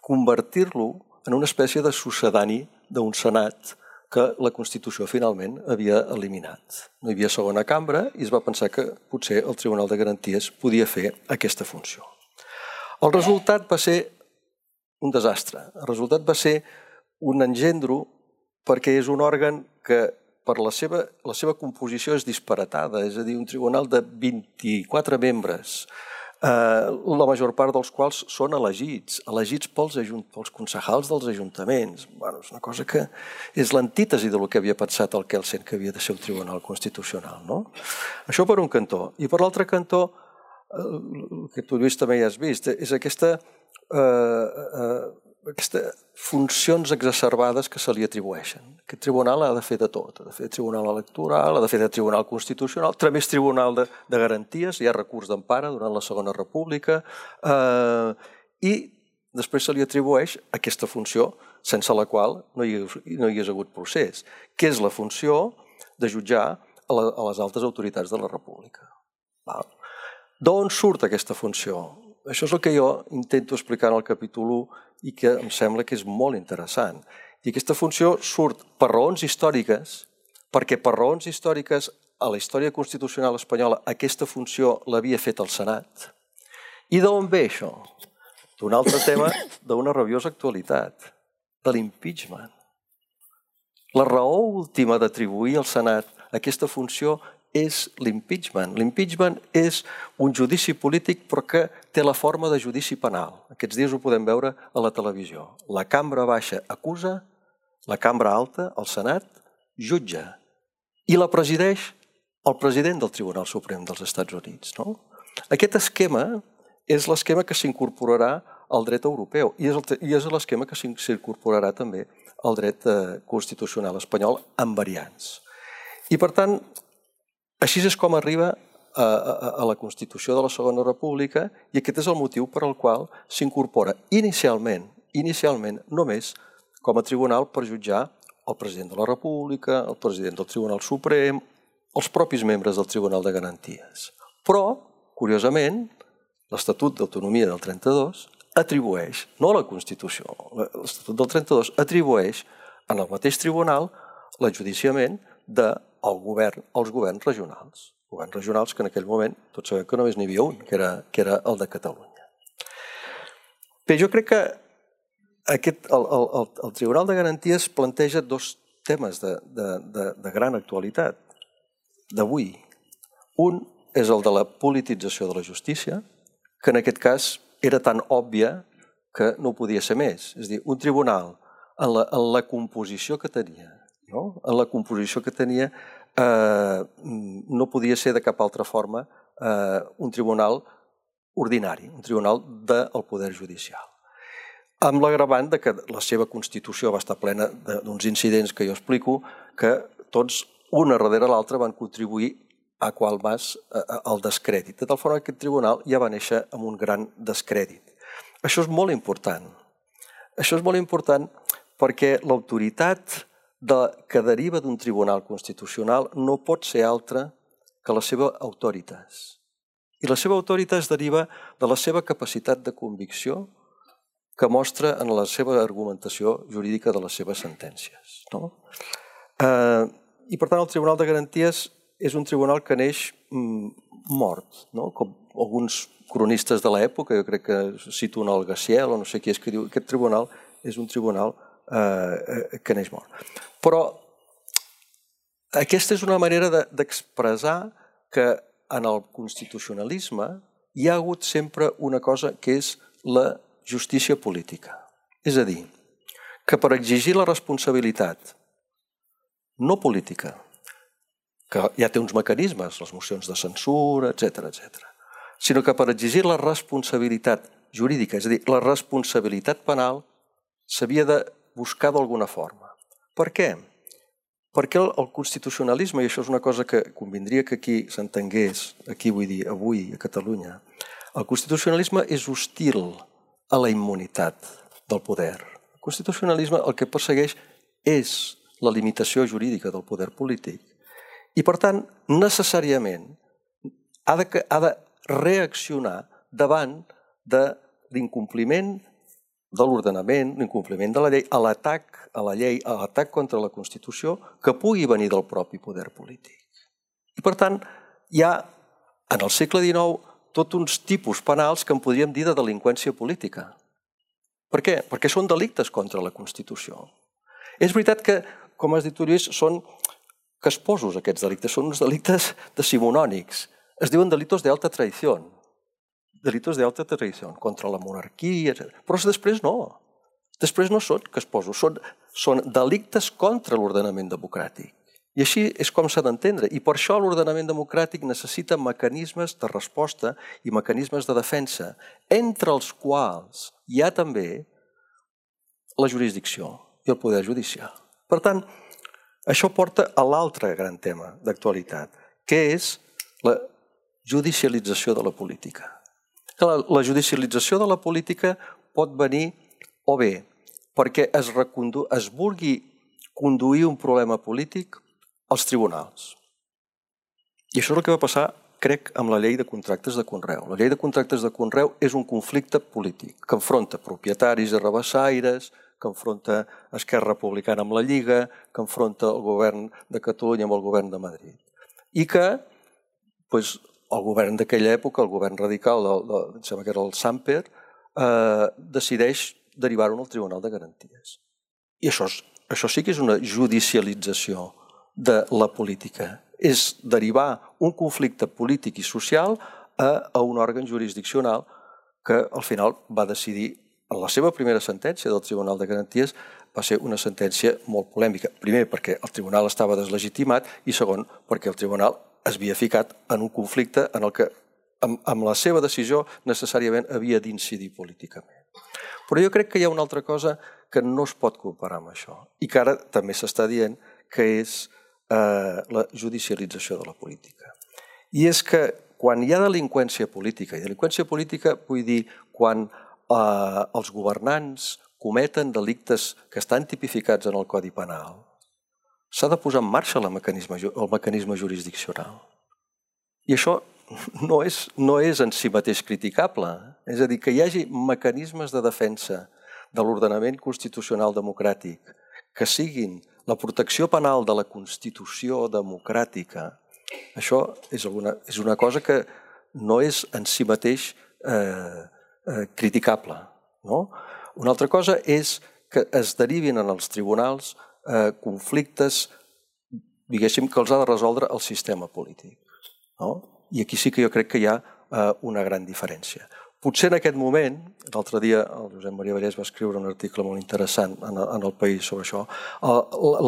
convertir-lo en una espècie de succedani d'un senat que la Constitució finalment havia eliminat. No hi havia segona cambra i es va pensar que potser el Tribunal de Garanties podia fer aquesta funció. El resultat va ser un desastre. El resultat va ser un engendro perquè és un òrgan que per la seva composició és disparatada, és a dir, un tribunal de 24 membres, la major part dels quals són elegits pels concejals dels ajuntaments. És una cosa que és l'antítesi del que havia pensat el Kelsen que havia de ser un tribunal constitucional. Això per un cantó. I per l'altre cantó, el que tu, Lluís, també ja has vist, és aquestes funcions exacerbades que se li atribueixen. Aquest tribunal ha de fer de tot, ha de fer de tribunal electoral, ha de fer de tribunal constitucional, també és tribunal de garanties, hi ha recurs d'empara durant la Segona República, i després se li atribueix aquesta funció sense la qual no hi hagués hagut procés, que és la funció de jutjar a les altes autoritats de la República. D'on surt aquesta funció? Això és el que jo intento explicar en el capítol 1 i que em sembla que és molt interessant. I aquesta funció surt per raons històriques, perquè per raons històriques a la història constitucional espanyola aquesta funció l'havia fet el Senat. I d'on ve això? D'un altre tema d'una rabiosa actualitat, de l'impeachment. La raó última d'atribuir al Senat aquesta funció és l'impeachment. L'impeachment és un judici polític però que té la forma de judici penal. Aquests dies ho podem veure a la televisió. La cambra baixa acusa, la cambra alta, el Senat, jutja. I la presideix el president del Tribunal Suprem dels Estats Units. Aquest esquema és l'esquema que s'incorporarà al dret europeu i és l'esquema que s'incorporarà també al dret constitucional espanyol amb variants. I per tant, així és com arriba a la Constitució de la Segona República i aquest és el motiu per al qual s'incorpora inicialment només com a tribunal per jutjar el president de la República, el president del Tribunal Suprem, els propis membres del Tribunal de Garanties. Però, curiosament, l'Estatut d'Autonomia del 32 atribueix, no a la Constitució, l'Estatut del 32 atribueix en el mateix tribunal l'enjudiciament als governs regionals, que en aquell moment tots sabem que només n'hi havia un, que era el de Catalunya. Bé, jo crec que el Tribunal de Garanties planteja dos temes de gran actualitat d'avui. Un és el de la politització de la justícia, que en aquest cas era tan òbvia que no podia ser més. És a dir, un tribunal en la composició que tenia, no podia ser de cap altra forma un tribunal ordinari, un tribunal del poder judicial. Amb l'agravant que la seva Constitució va estar plena d'uns incidents que jo explico, que tots, una darrere l'altra, van contribuir a qual vas el descrèdit. De tal forma que aquest tribunal ja va néixer amb un gran descrèdit. Això és molt important. Això és molt important perquè l'autoritat que deriva d'un tribunal constitucional no pot ser altra que la seva autoritas. I la seva autoritas deriva de la seva capacitat de convicció que mostra en la seva argumentació jurídica de les seves sentències. I per tant el Tribunal de Garanties és un tribunal que neix mort, com alguns cronistes de l'època, jo crec que cito un Algaciel o no sé qui és que diu aquest tribunal és un tribunal que neix mort. Però aquesta és una manera d'expressar que en el constitucionalisme hi ha hagut sempre una cosa que és la justícia política. És a dir, que per exigir la responsabilitat no política, que ja té uns mecanismes, les mocions de censura, etc., sinó que per exigir la responsabilitat jurídica, és a dir, la responsabilitat penal, s'havia de buscar d'alguna forma. Per què? Perquè el constitucionalisme, i això és una cosa que convindria que aquí s'entengués, aquí vull dir, avui a Catalunya, el constitucionalisme és hostil a la immunitat del poder. El constitucionalisme el que persegueix és la limitació jurídica del poder polític i, per tant, necessàriament ha de reaccionar davant de l'incompliment de l'ordenament, l'incompliment de la llei, a l'atac a la llei, a l'atac contra la Constitució que pugui venir del propi poder polític. I, per tant, hi ha, en el segle XIX, tots uns tipus penals que en podríem dir de delinqüència política. Per què? Perquè són delictes contra la Constitució. És veritat que, com has dit tu, Lluís, són casposos aquests delictes, són uns delictes decimonònics. Es diuen delitos de alta traición. Delitos de alta traición contra la monarquia, etc. Però després no. Després no són casposos, són delictes contra l'ordenament democràtic. I així és com s'ha d'entendre. I per això l'ordenament democràtic necessita mecanismes de resposta i mecanismes de defensa, entre els quals hi ha també la jurisdicció i el poder judicial. Per tant, això porta a l'altre gran tema d'actualitat, que és la judicialització de la política. La judicialització de la política pot venir o bé perquè es vulgui conduir un problema polític als tribunals. I això és el que va passar, crec, amb la llei de contractes de conreu. La llei de contractes de conreu és un conflicte polític que enfronta propietaris i rabassaires, que enfronta Esquerra Republicana amb la Lliga, que enfronta el govern de Catalunya amb el govern de Madrid. I que el govern d'aquella època, el govern radical, em sembla que era el Samper, decideix derivar-ho al Tribunal de Garanties. I això sí que és una judicialització de la política. És derivar un conflicte polític i social a un òrgan jurisdiccional que al final va decidir, en la seva primera sentència del Tribunal de Garanties, va ser una sentència molt polèmica. Primer, perquè el tribunal estava deslegitimat i segon, perquè el tribunal es havia ficat en un conflicte en el que, amb la seva decisió, necessàriament havia d'incidir políticament. Però jo crec que hi ha una altra cosa que no es pot comparar amb això i que ara també s'està dient que és la judicialització de la política. I és que quan hi ha delinqüència política, i delinqüència política vull dir quan els governants cometen delictes que estan tipificats en el Codi Penal, s'ha de posar en marxa el mecanisme jurisdiccional. I això no és en si mateix criticable. És a dir, que hi hagi mecanismes de defensa de l'ordenament constitucional democràtic que siguin la protecció penal de la Constitució democràtica, això és una cosa que no és en si mateix criticable. Una altra cosa és que es derivin en els tribunals conflictes, diguéssim, que els ha de resoldre el sistema polític. I aquí sí que jo crec que hi ha una gran diferència. Potser en aquest moment, l'altre dia el Josep Maria Vallès va escriure un article molt interessant en El País sobre això,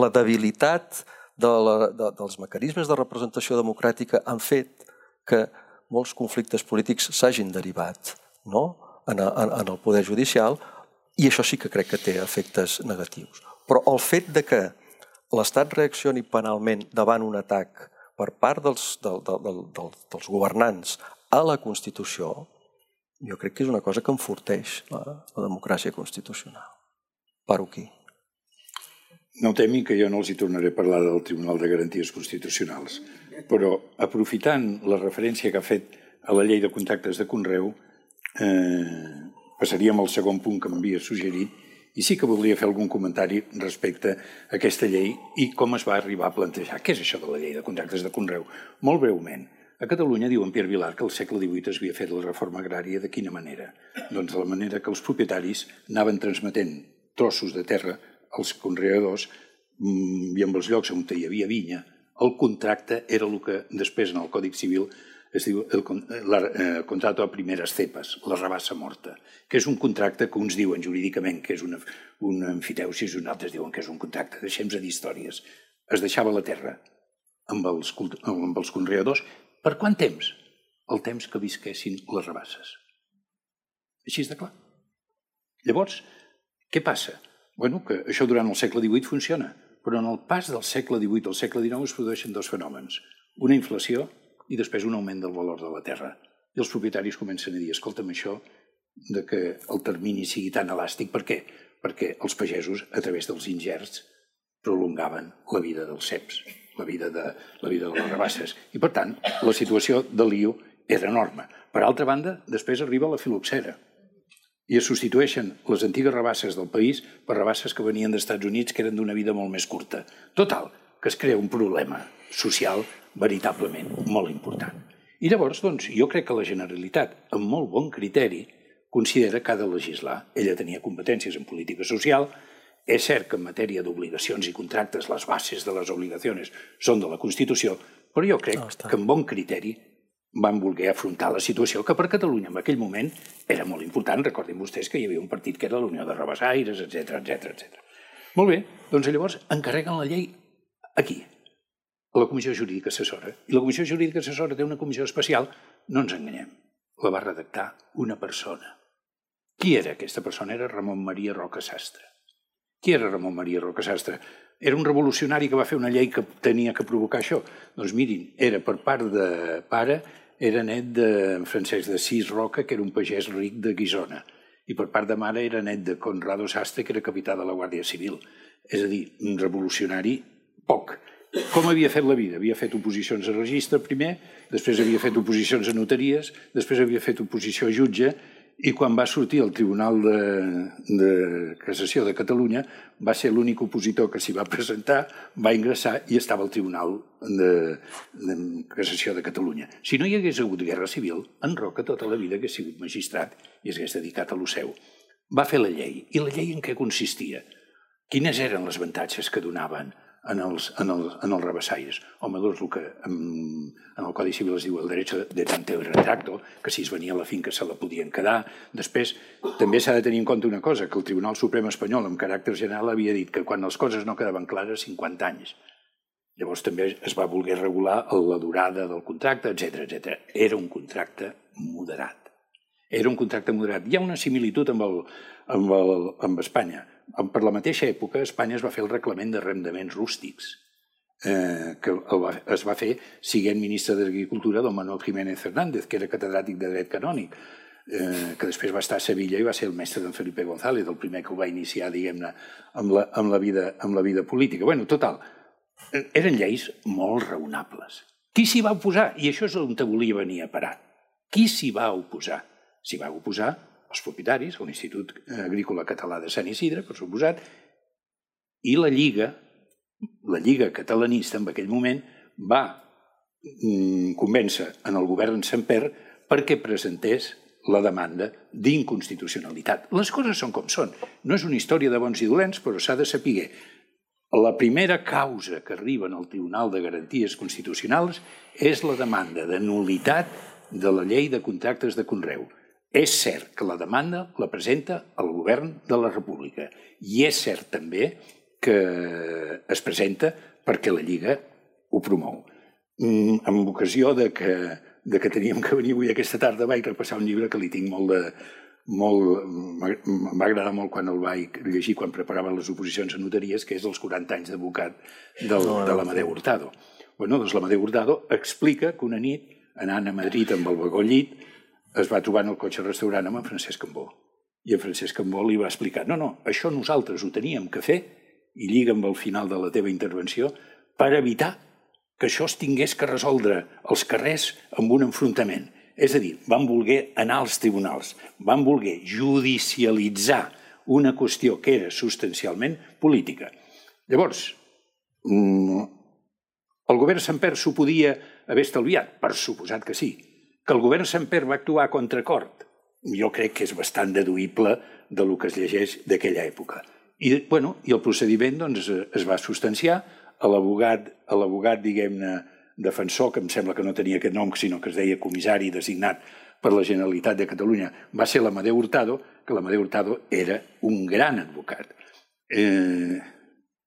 la debilitat dels mecanismes de representació democràtica han fet que molts conflictes polítics s'hagin derivat en el poder judicial i això sí que crec que té efectes negatius. Però el fet de que l'Estat reaccioni penalment davant un atac per part dels governants a la Constitució, jo crec que és una cosa que enforteix la democràcia constitucional. Paro aquí. No temi que jo no els hi tornaré a parlar del Tribunal de Garanties Constitucionals, però aprofitant la referència que ha fet a la llei de contractes de conreu, passaríem al segon punt que m'havia suggerit i sí que voldria fer algun comentari respecte a aquesta llei i com es va arribar a plantejar. Què és això de la llei de contractes de conreu? Molt breument. A Catalunya, diu en Pierre Vilar, que al segle XVIII es havia fet la reforma agrària de quina manera? Doncs de la manera que els propietaris anaven transmetent trossos de terra als conreadors i en els llocs on hi havia vinya, el contracte era el que després en el Còdic Civil es diu el contrato a primeres cepas, la rabassa morta, que és un contracte que uns diuen jurídicament que és una emfiteusi i uns altres diuen que és un contracte. Deixem-nos dir històries. Es deixava la terra amb els conreadors. Per quant temps? El temps que visquessin les rabasses. Així és de clar. Llavors, què passa? Bueno, que això durant el segle XVIII funciona, però en el pas del segle XVIII al segle XIX es produeixen dos fenòmens. Una inflació i després un augment del valor de la terra. I els propietaris comencen a dir, escolta'm, això de que el termini sigui tan elàstic, per què? Perquè els pagesos, a través dels ingerts, prolongaven la vida dels ceps, la vida de les rabasses. I, per tant, la situació de lío era enorme. Per altra banda, després arriba la filoxera i es substitueixen les antigues rabasses del país per rabasses que venien dels Estats Units que eren d'una vida molt més curta. Total, que es crea un problema social veritablement molt important. I llavors, doncs, jo crec que la Generalitat, amb molt bon criteri, considera que ha de legislar. Ella tenia competències en política social. És cert que en matèria d'obligacions i contractes les bases de les obligacions són de la Constitució, però jo crec que amb bon criteri van voler afrontar la situació que per Catalunya en aquell moment era molt important. Recordin vostès que hi havia un partit que era la Unió de Rabassaires, etc. Molt bé, doncs llavors encarreguen la llei aquí, a la Comissió Jurídica Assessora. I la Comissió Jurídica Assessora té una comissió especial, no ens enganyem, la va redactar una persona. Qui era aquesta persona? Era Ramon Maria Roca Sastre. Qui era Ramon Maria Roca Sastre? Era un revolucionari que va fer una llei que tenia que provocar això. Doncs mirin, era per part de pare, era net de Francesc d'Assís Roca, que era un pagès ric de Guissona, i per part de mare era net de Conrado Sastre, que era capità de la Guàrdia Civil. És a dir, un revolucionari poc. Com havia fet la vida? Havia fet oposicions a registre primer, després havia fet oposicions a notaries, després havia fet oposició a jutge, i quan va sortir al Tribunal de Cassació de Catalunya va ser l'únic opositor que s'hi va presentar, va ingressar i estava al Tribunal de Cassació de Catalunya. Si no hi hagués hagut guerra civil, en Roca tota la vida hagués sigut magistrat i s'hagués dedicat a lo seu. Va fer la llei. I la llei en què consistia? Quines eren les avantatges que donaven en els rabassaires? Home, doncs el que en el Codi Civil es diu el derecho de tanteo y retracto, que si es venia a la finca se la podien quedar. Després, també s'ha de tenir en compte una cosa, que el Tribunal Suprem espanyol, amb caràcter general, havia dit que quan les coses no quedaven clares, 50 anys. Llavors també es va voler regular la durada del contracte, etc. Era un contracte moderat. Era un contracte moderat. Hi ha una similitud amb Espanya. Per la mateixa època, Espanya es va fer el reglament d'arrendaments rústics, que es va fer siguent ministre d'Agricultura don Manuel Jiménez Fernández, que era catedràtic de dret canònic, que després va estar a Sevilla i va ser el mestre d'en Felipe González, el primer que ho va iniciar, diguem-ne, amb la vida política. Bueno, total, eren lleis molt raonables. Qui s'hi va oposar? I això és on volia venir a parar. Qui s'hi va oposar? S'hi va oposar els propietaris, l'Institut Agrícola Català de Sant Isidre, per suposat, i la Lliga catalanista en aquell moment va convèncer en el govern Samper perquè presentés la demanda d'inconstitucionalitat. Les coses són com són. No és una història de bons i dolents, però s'ha de saber. La primera causa que arriba al Tribunal de Garanties Constitucionals és la demanda de nul·litat de la llei de contractes de conreu. És cert que la demanda la presenta el govern de la República i és cert també que es presenta perquè la Lliga ho promou. En ocasió que teníem que venir avui aquesta tarda vaig repassar un llibre que li tinc em va agradar molt quan el vaig llegir quan preparava les oposicions a notaries, que és els 40 anys d'advocat de l'Amadeu Hurtado. Doncs l'Amadeu Hurtado explica que una nit, anant a Madrid amb el vagó llit, es va trobar en el cotxe restaurant amb en Francesc Cambó. I en Francesc Cambó li va explicar no, això nosaltres ho teníem que fer, i lliga amb el final de la teva intervenció, per evitar que això es tingués que resoldre als carrers amb un enfrontament. És a dir, van voler anar als tribunals, van voler judicialitzar una qüestió que era substancialment política. Llavors, el govern Sempere s'ho podia haver estalviat? Per suposat que sí. Que el govern Sempere va actuar a contracort? Jo crec que és bastant deduïble del que es llegeix d'aquella època. I el procediment es va substanciar. L'abogat, diguem-ne, defensor, que em sembla que no tenia aquest nom, sinó que es deia comissari designat per la Generalitat de Catalunya, va ser l'Amadeu Hurtado, que l'Amadeu Hurtado era un gran advocat.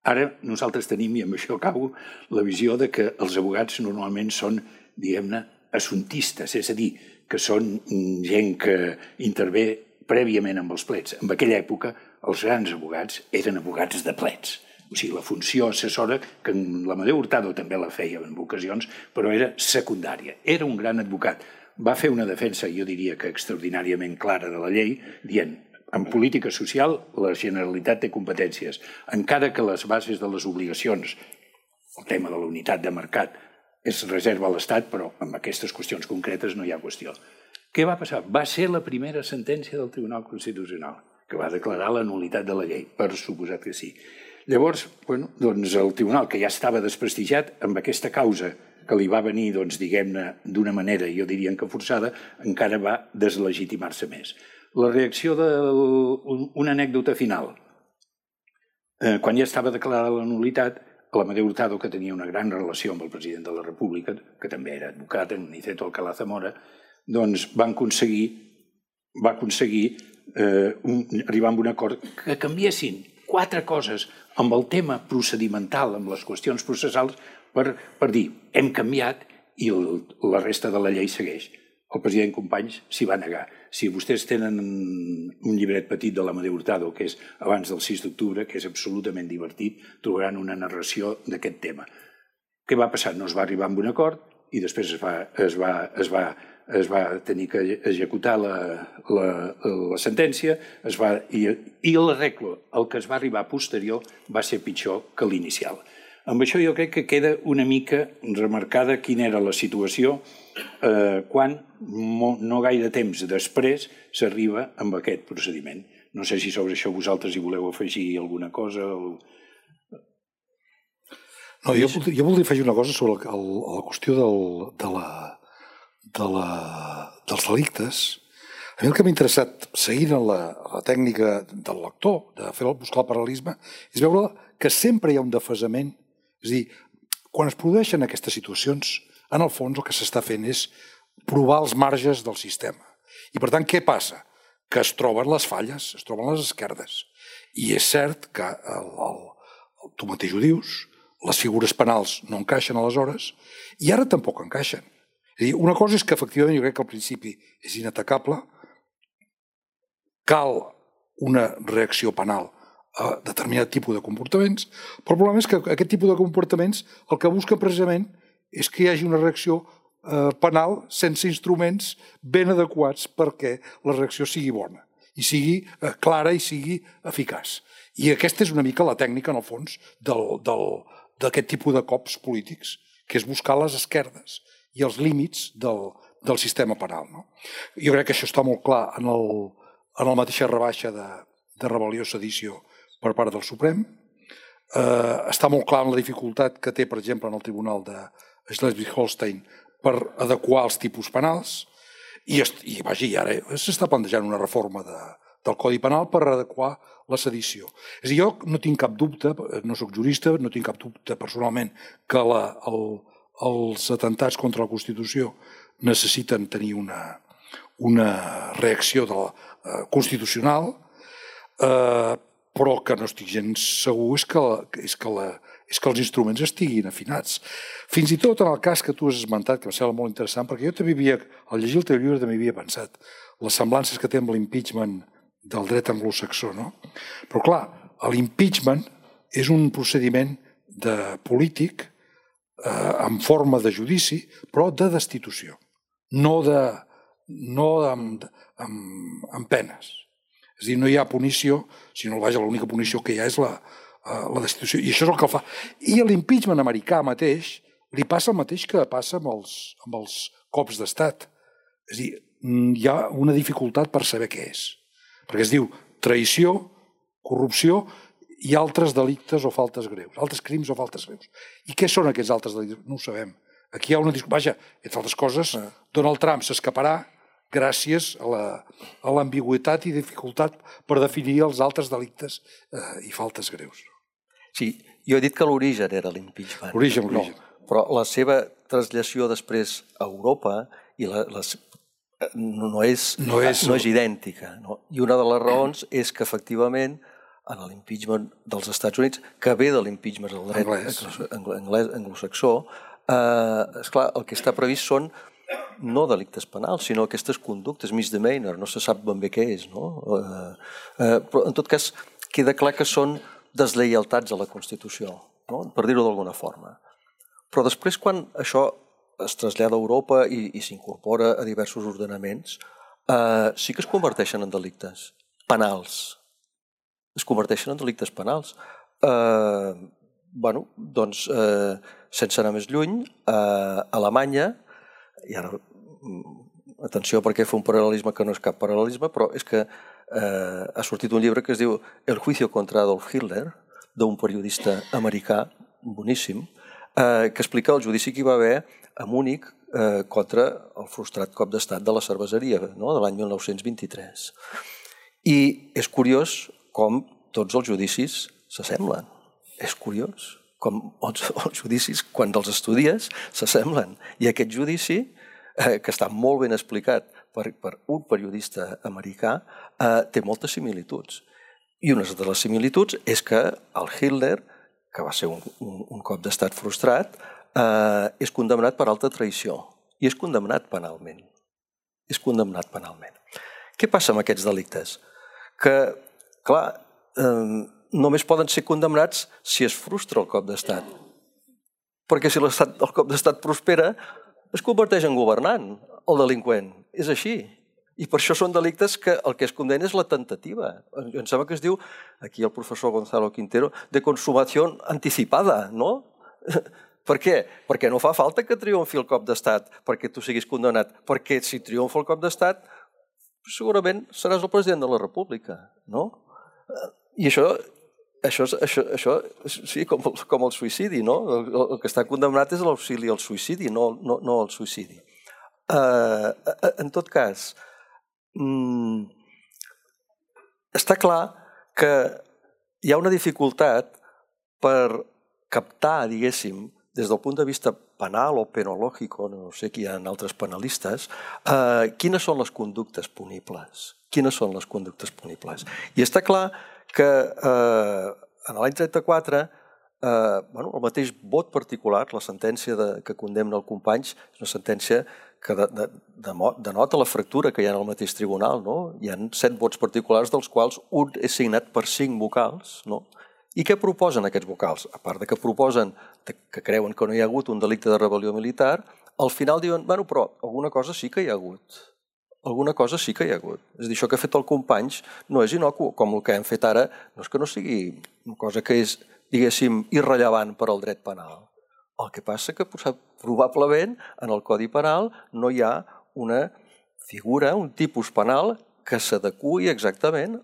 Ara nosaltres tenim, i amb això acabo, la visió de que els abogats normalment són, diguem-ne, assuntistes, és a dir, que són gent que intervé prèviament amb els plets. En aquella època, els grans abogats eren abogats de plets. O sigui, la funció assessora, que l'Amadeu Hurtado també la feia en ocasions, però era secundària. Era un gran advocat. Va fer una defensa, jo diria que extraordinàriament clara de la llei, dient en política social la Generalitat té competències, encara que les bases de les obligacions, el tema de la unitat de mercat, es reserva a l'Estat, però amb aquestes qüestions concretes no hi ha qüestió. Què va passar? Va ser la primera sentència del Tribunal Constitucional, que va declarar la nul·litat de la llei, per suposat que sí. Llavors, el tribunal, que ja estava desprestigiat amb aquesta causa que li va venir, diguem-ne, d'una manera, jo diria que forçada, encara va deslegitimar-se més. La reacció d'una anècdota final. Quan ja estava declarada la nul·litat, l'Amadeu Hurtado, que tenia una gran relació amb el president de la República, que també era advocat, en Niceto Alcalá Zamora, va aconseguir arribar a un acord que canviessin 4 coses amb el tema procedimental, amb les qüestions processals, per dir, hem canviat i la resta de la llei segueix. El president Companys s'hi va negar. Si vostès tenen un llibret petit de l'Amadeu Hurtado, que és abans del 6 d'octubre, que és absolutament divertit, trobaran una narració d'aquest tema. Què va passar? No es va arribar a un acord i després es va tenir que executar la sentència i l'arreglo, el que es va arribar posterior, va ser pitjor que l'inicial. Amb això jo crec que queda una mica remarcada quina era la situació quan, no gaire temps després, s'arriba amb aquest procediment. No sé si sobre això vosaltres hi voleu afegir alguna cosa. No, jo voldria afegir una cosa sobre la qüestió dels delictes. A mi el que m'ha interessat, seguint la tècnica del lector, de buscar el paral·lelisme, és veure que sempre hi ha un desfasament. És a dir, quan es produeixen aquestes situacions, en el fons el que s'està fent és provar els marges del sistema. I per tant, què passa? Que es troben les falles, es troben les esquerdes. I és cert que, tu mateix ho dius, les figures penals no encaixen aleshores i ara tampoc encaixen. És a dir, una cosa és que efectivament jo crec que al principi és inatacable, cal una reacció penal a determinat tipus de comportaments, però el problema és que aquest tipus de comportaments el que busquen precisament és que hi hagi una reacció penal sense instruments ben adequats perquè la reacció sigui bona i sigui clara i sigui eficaç. I aquesta és una mica la tècnica, en el fons, d'aquest tipus de cops polítics, que és buscar les esquerdes i els límits del sistema penal. Jo crec que això està molt clar en la mateixa rebaixa de rebel·lió-sedició per part del Suprem. Està molt clar en la dificultat que té, per exemple, en el Tribunal de Schleswig-Holstein per adequar els tipus penals i ara s'està plantejant una reforma del Codi Penal per adequar la sedició. És a dir, jo no tinc cap dubte, no soc jurista, no tinc cap dubte personalment que els atentats contra la Constitució necessiten tenir una reacció constitucional, però que no estic gens segur és que els instruments estiguin afinats. Fins i tot en el cas que tu has esmentat, que em sembla molt interessant, perquè jo també al llegir el teu llibre també havia pensat les semblances que té amb l'impeachment del dret anglosaxó, no? Però clar, l'impeachment és un procediment polític en forma de judici, però de destitució, no amb penes. És a dir, no hi ha punició, sinó l'única punició que hi ha és la destitució. I això és el que el fa. I l'impeachment americà mateix li passa el mateix que passa amb els cops d'estat. És a dir, hi ha una dificultat per saber què és. Perquè es diu traïció, corrupció i altres delictes o faltes greus, altres crims o faltes greus. I què són aquests altres delictes? No ho sabem. Aquí hi ha una discussió. Vaja, entre altres coses, Donald Trump s'escaparà gràcies a l'ambigüitat i dificultat per definir els altres delictes i faltes greus. Sí, jo he dit que l'origen era l'impeachment. L'origen. Però la seva traslació després a Europa no és idèntica. I una de les raons és que, efectivament, en l'impeachment dels Estats Units, que ve de l'impeachment del dret anglès anglosaxó, esclar, el que està previst són no delictes penals, sinó aquestes conductes, misdemeanor, no se sap ben bé què és, no? Però, en tot cas, queda clar que són deslleialtats a la Constitució, no? Per dir-ho d'alguna forma. Però després, quan això es trasllada a Europa i s'incorpora a diversos ordenaments, sí que es converteixen en delictes penals. Es converteixen en delictes penals. Bé, doncs, sense anar més lluny, a Alemanya, i ara, atenció perquè fa un paral·lelisme que no és cap paral·lelisme, però és que ha sortit un llibre que es diu El juicio contra Adolf Hitler, d'un periodista americà, boníssim, que explica el judici que hi va haver a Múnich contra el frustrat cop d'estat de la cerveseria, de l'any 1923. I és curiós com tots els judicis s'assemblen. És curiós com els judicis, quan els estudies, s'assemblen. I aquest judici, que està molt ben explicat per un periodista americà, té moltes similituds. I una de les similituds és que el Hitler, que va ser un cop d'estat frustrat, és condemnat per alta traïció i és condemnat penalment. És condemnat penalment. Què passa amb aquests delictes? Que, clar, només poden ser condemnats si es frustra el cop d'estat. Perquè si el cop d'estat prospera, es converteix en governant, el delinqüent. És així. I per això són delictes que el que es condena és la tentativa. Em sembla que es diu, aquí el professor Gonzalo Quintero, de consumació anticipada, no? Per què? Perquè no fa falta que triomfi el cop d'estat perquè tu siguis condemnat. Perquè si triomfa el cop d'estat, segurament seràs el president de la República, no? I això sí, com el suïcidi, no? El que està condemnat és l'auxili al suïcidi, no el suïcidi. En tot cas, està clar que hi ha una dificultat per captar, diguéssim, des del punt de vista penal o penològic, no sé qui hi ha altres penalistes, quines són les conductes punibles. Quines són les conductes punibles. I està clar que en l'any 34 el mateix vot particular, la sentència que condemna el Companys, és una sentència que denota la fractura que hi ha en el mateix tribunal. Hi ha 7 vots particulars, dels quals un és signat per 5 vocals. I què proposen aquests vocals? A part de que proposen que creuen que no hi ha hagut un delicte de rebel·lió militar, al final diuen, bueno, però alguna cosa sí que hi ha hagut. Alguna cosa sí que hi ha hagut. És a dir, això que ha fet el Companys no és inocu, com el que hem fet ara, no és que no sigui una cosa que és, diguéssim, irrellevant per al dret penal. El que passa que probablement en el Codi Penal no hi ha una figura, un tipus penal que s'adeqüi exactament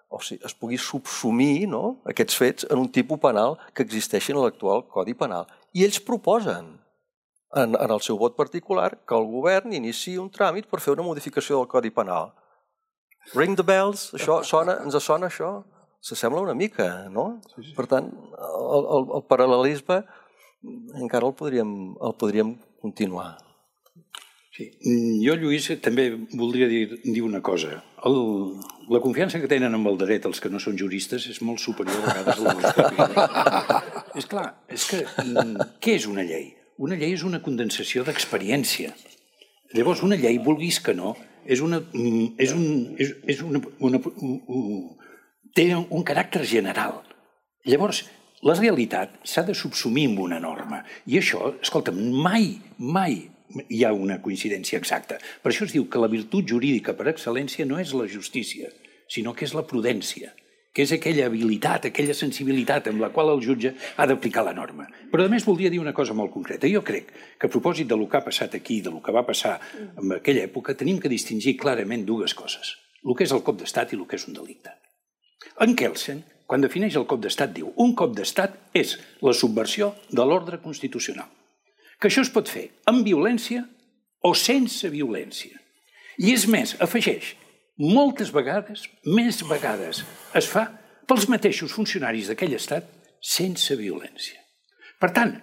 o sigui, es pugui subsumir aquests fets en un tipus penal que existeixi en l'actual Codi Penal. I ells proposen en el seu vot particular que el govern iniciï un tràmit per fer una modificació del Codi Penal. Ring the bells, ens sona això? S'assembla una mica, no? Per tant, el paral·lelisme encara el podríem continuar. Sí. Jo, Lluís, també voldria dir una cosa. La confiança que tenen en el dret els que no són juristes és molt superior a vegades a la nostra. És clar, és que què és una llei? Una llei és una condensació d'experiència. Llavors, una llei, vulguis que no, té un caràcter general. Llavors, la realitat s'ha de subsumir en una norma. I això, escolta'm, mai hi ha una coincidència exacta. Per això es diu que la virtut jurídica per excel·lència no és la justícia, sinó que és la prudència, que és aquella habilitat, aquella sensibilitat amb la qual el jutge ha d'aplicar la norma. Però a més voldria dir una cosa molt concreta. Jo crec que a propòsit del que ha passat aquí, del que va passar en aquella època, tenim que distingir clarament dues coses. El que és el cop d'estat i el que és un delicte. En Kelsen, quan defineix el cop d'estat, diu un cop d'estat és la subversió de l'ordre constitucional. Que això es pot fer amb violència o sense violència. I és més, afegeix, moltes vegades, més vegades, es fa pels mateixos funcionaris d'aquell estat sense violència. Per tant,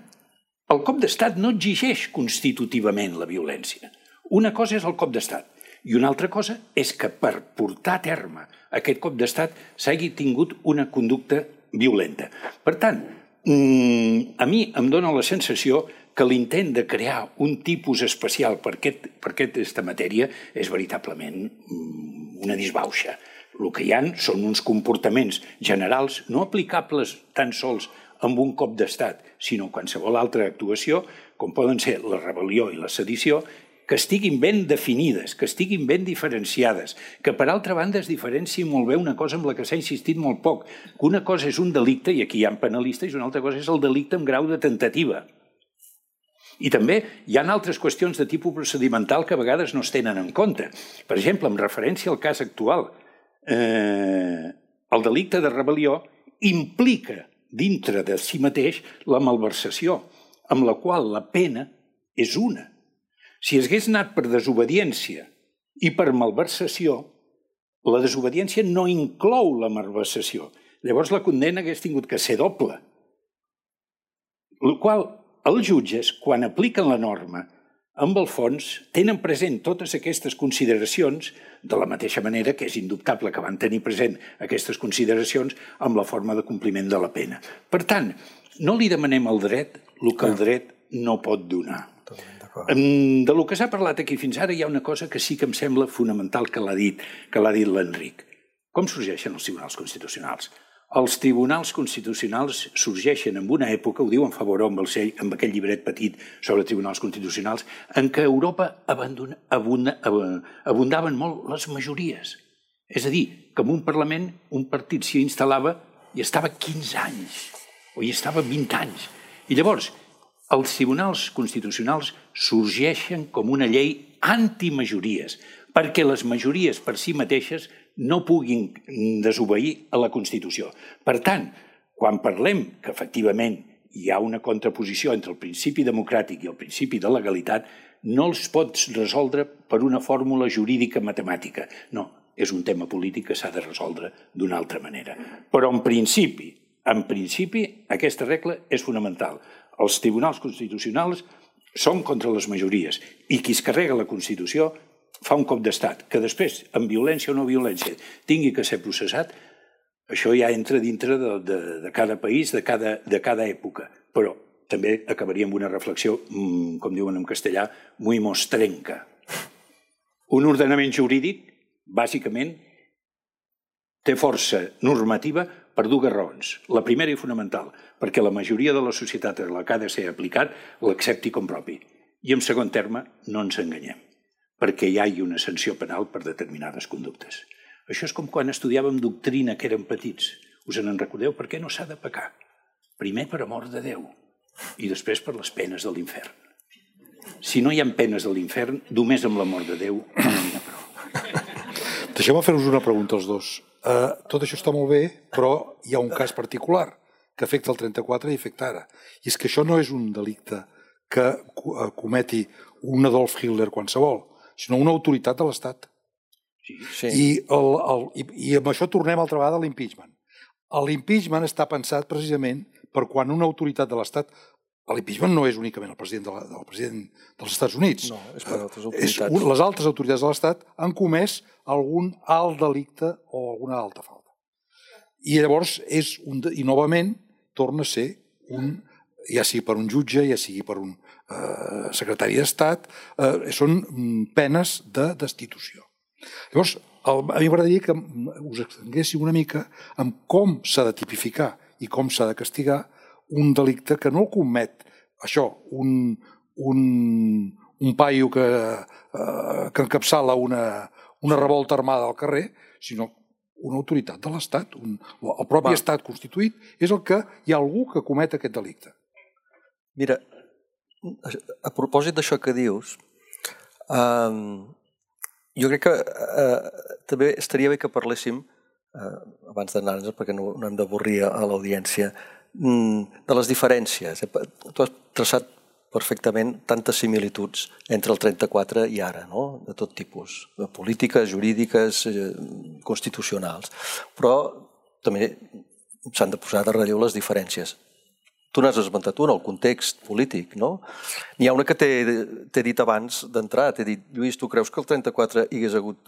el cop d'estat no exigeix constitutivament la violència. Una cosa és el cop d'estat i una altra cosa és que per portar a terme aquest cop d'estat s'hagi tingut una conducta violenta. Per tant, a mi em dóna la sensació que l'intent de crear un tipus especial per aquesta matèria és veritablement una disbauxa. El que hi ha són uns comportaments generals no aplicables tan sols amb un cop d'estat, sinó qualsevol altra actuació, com poden ser la rebel·lió i la sedició, que estiguin ben definides, que estiguin ben diferenciades, que per altra banda es diferenciï molt bé una cosa amb la que s'ha insistit molt poc, que una cosa és un delicte, i aquí hi ha penalistes, i una altra cosa és el delicte amb grau de tentativa. I també hi ha altres qüestions de tipus procedimental que a vegades no es tenen en compte. Per exemple, en referència al cas actual, el delicte de rebel·lió implica dintre de si mateix la malversació, amb la qual la pena és una. Si hagués anat per desobediència i per malversació, la desobediència no inclou la malversació. Llavors la condemna hagués tingut que ser doble. El qual els jutges, quan apliquen la norma, amb el fons, tenen present totes aquestes consideracions de la mateixa manera que és indubtable que van tenir present aquestes consideracions amb la forma de compliment de la pena. Per tant, no li demanem al dret el que el dret no pot donar. De lo que s'ha parlat aquí fins ara hi ha una cosa que sí que em sembla fonamental que l'ha dit l'Enric. Com sorgeixen els tribunals constitucionals? Els tribunals constitucionals sorgeixen en una època, ho diu en Favoró amb aquell llibret petit sobre tribunals constitucionals, en què a Europa abundaven molt les majories. És a dir, que en un Parlament un partit s'hi instal·lava i estava 15 anys, o hi estava 20 anys. I llavors, els tribunals constitucionals sorgeixen com una llei antimajories, perquè les majories per si mateixes no puguin desobeir a la Constitució. Per tant, quan parlem que efectivament hi ha una contraposició entre el principi democràtic i el principi de legalitat, no els pots resoldre per una fórmula jurídica matemàtica. No, és un tema polític que s'ha de resoldre d'una altra manera. Però en principi, aquesta regla és fonamental. Els tribunals constitucionals són contra les majories i qui es carrega la Constitució fa un cop d'estat, que després, amb violència o no violència, tingui que ser processat, això ja entra dintre de cada país, de cada època. Però també acabaria amb una reflexió, com diuen en castellà, muy mostrenca. Un ordenament jurídic, bàsicament, té força normativa per dues raons. La primera i fonamental, perquè la majoria de la societat a la que ha de ser aplicat l'accepti com propi. I en segon terme, no ens enganyem, perquè hi hagi una sanció penal per determinades conductes. Això és com quan estudiàvem doctrina que érem petits. Us en recordeu? Per què no s'ha de pecar? Primer per amor de Déu i després per les penes de l'infern. Si no hi ha penes de l'infern, només amb l'amor de Déu no n'hi ha prou. Deixeu-me fer-vos una pregunta als dos. Tot això està molt bé, però hi ha un cas particular que afecta el 34 i afecta ara. I és que això no és un delicte que cometi un Adolf Hitler qualsevol, sinó una autoritat de l'Estat. I amb això tornem altra vegada a l'impeachment. L'impeachment està pensat precisament per quan una autoritat de l'Estat... L'impeachment no és únicament el president dels Estats Units. No, és per altres autoritats. Les altres autoritats de l'Estat han comès algun alt delicte o alguna alta falta. I llavors, novament, torna a ser ja sigui per un jutge, ja sigui per un secretari d'Estat, són penes de destitució. Llavors, a mi m'agradaria que us extenguéssiu una mica en com s'ha de tipificar i com s'ha de castigar un delicte que no el comet això, un paio que encapçala una revolta armada al carrer, sinó una autoritat de l'Estat. El propi Estat constituït és el que hi ha algú que comet aquest delicte. Mira, a propòsit d'això que dius, jo crec que també estaria bé que parléssim, abans d'anar-nos, perquè no hem d'avorrir a l'audiència, de les diferències. Tu has traçat perfectament tantes similituds entre el 34 i ara, no? De tot tipus, de polítiques, jurídiques, constitucionals. Però també s'han de posar de relleu les diferències. Tu n'has esmentat una, el context polític, no? N'hi ha una que t'he dit abans d'entrar, t'he dit, Lluís, tu creus que el 34 hi hagués hagut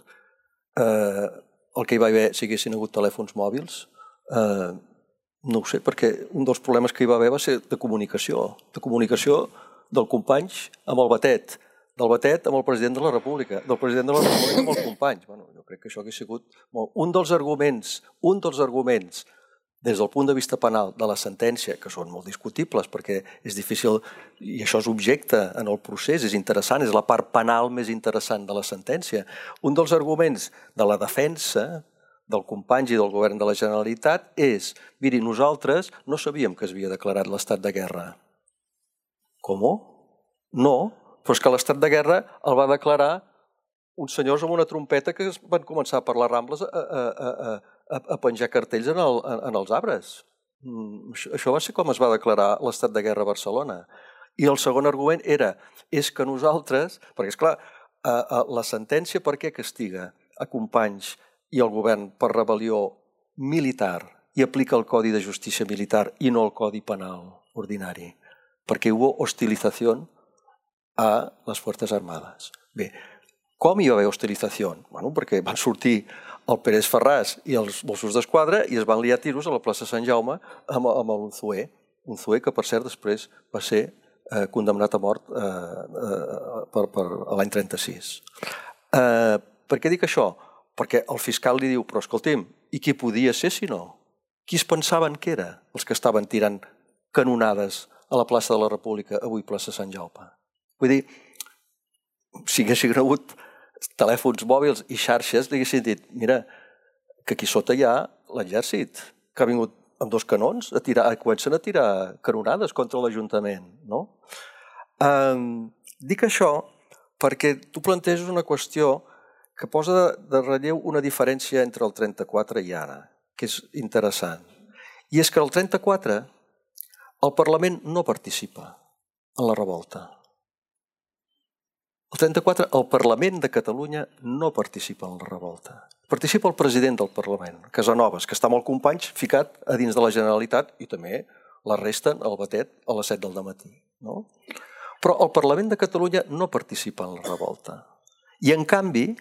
el que hi va haver si haguessin hagut telèfons mòbils? No ho sé, perquè un dels problemes que hi va haver va ser de comunicació del Companys amb el Batet, del Batet amb el president de la República, del president de la República amb els Companys. Jo crec que això hauria sigut un dels arguments, des del punt de vista penal de la sentència, que són molt discutibles perquè és difícil, i això és objecte en el procés, és interessant, és la part penal més interessant de la sentència. Un dels arguments de la defensa del Companys i del govern de la Generalitat és, miri, nosaltres no sabíem que es havia declarat l'estat de guerra. Com? No, però és que l'estat de guerra el va declarar uns senyors amb una trompeta que van començar per les Rambles a penjar cartells en els arbres. Això va ser com es va declarar l'estat de guerra a Barcelona. I el segon argument és que nosaltres, perquè esclar, la sentència per què castiga a Companys i al govern per rebel·lió militar i aplica el Codi de Justícia Militar i no el Codi Penal ordinari? Perquè hubo hostilización a les Fuerzas Armadas. Bé, com hi va haver hostilizació? Perquè van sortir el Pérez Ferràs i els Mossos d'Esquadra i es van liar tiros a la plaça Sant Jaume amb l'Unzué. Unzué que, per cert, després va ser condemnat a mort l'any 36. Per què dic això? Perquè el fiscal li diu, però escolti'm, i qui podia ser si no? Qui es pensaven que era els que estaven tirant canonades a la plaça de la República, avui plaça Sant Jaume? Vull dir, si haguessin hagut telèfons mòbils i xarxes, li haguessin dit, mira, que aquí sota hi ha l'exèrcit, que ha vingut amb 2 canons, comencen a tirar canonades contra l'Ajuntament, no? Dic això perquè tu planteges una qüestió que posa de relleu una diferència entre el 34 i ara, que és interessant. I és que el 34 el Parlament no participa en la revolta. El 34, el Parlament de Catalunya no participa en la revolta. Participa el president del Parlament, Casanovas, que està amb el Companys ficat a dins de la Generalitat i també l'arresten al Batet a les 7 del matí. Però el Parlament de Catalunya no participa en la revolta. I, en canvi,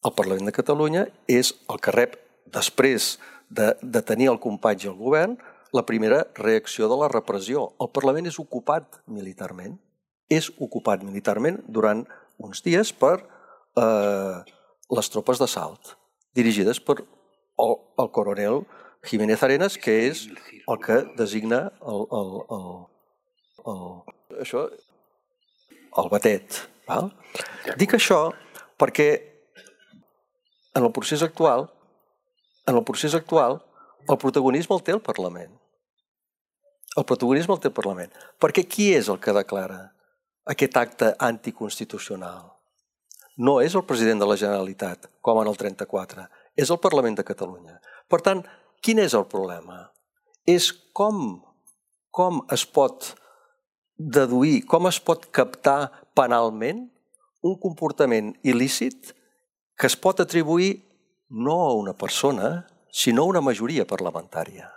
el Parlament de Catalunya és el que rep, després de tenir el Companys i el govern, la primera reacció de la repressió. El Parlament és ocupat militarment. És ocupat militarment durant uns dies per les tropes d'assalt, dirigides per el coronel Jiménez Arenas, que és el que designa el Batet. Dic això perquè en el procés actual el protagonisme el té el Parlament. El protagonisme el té el Parlament. Perquè qui és el que declara aquest acte anticonstitucional? No és el president de la Generalitat, com en el 34, és el Parlament de Catalunya. Per tant, quin és el problema? És com es pot deduir, com es pot captar penalment un comportament il·lícit que es pot atribuir no a una persona, sinó a una majoria parlamentària.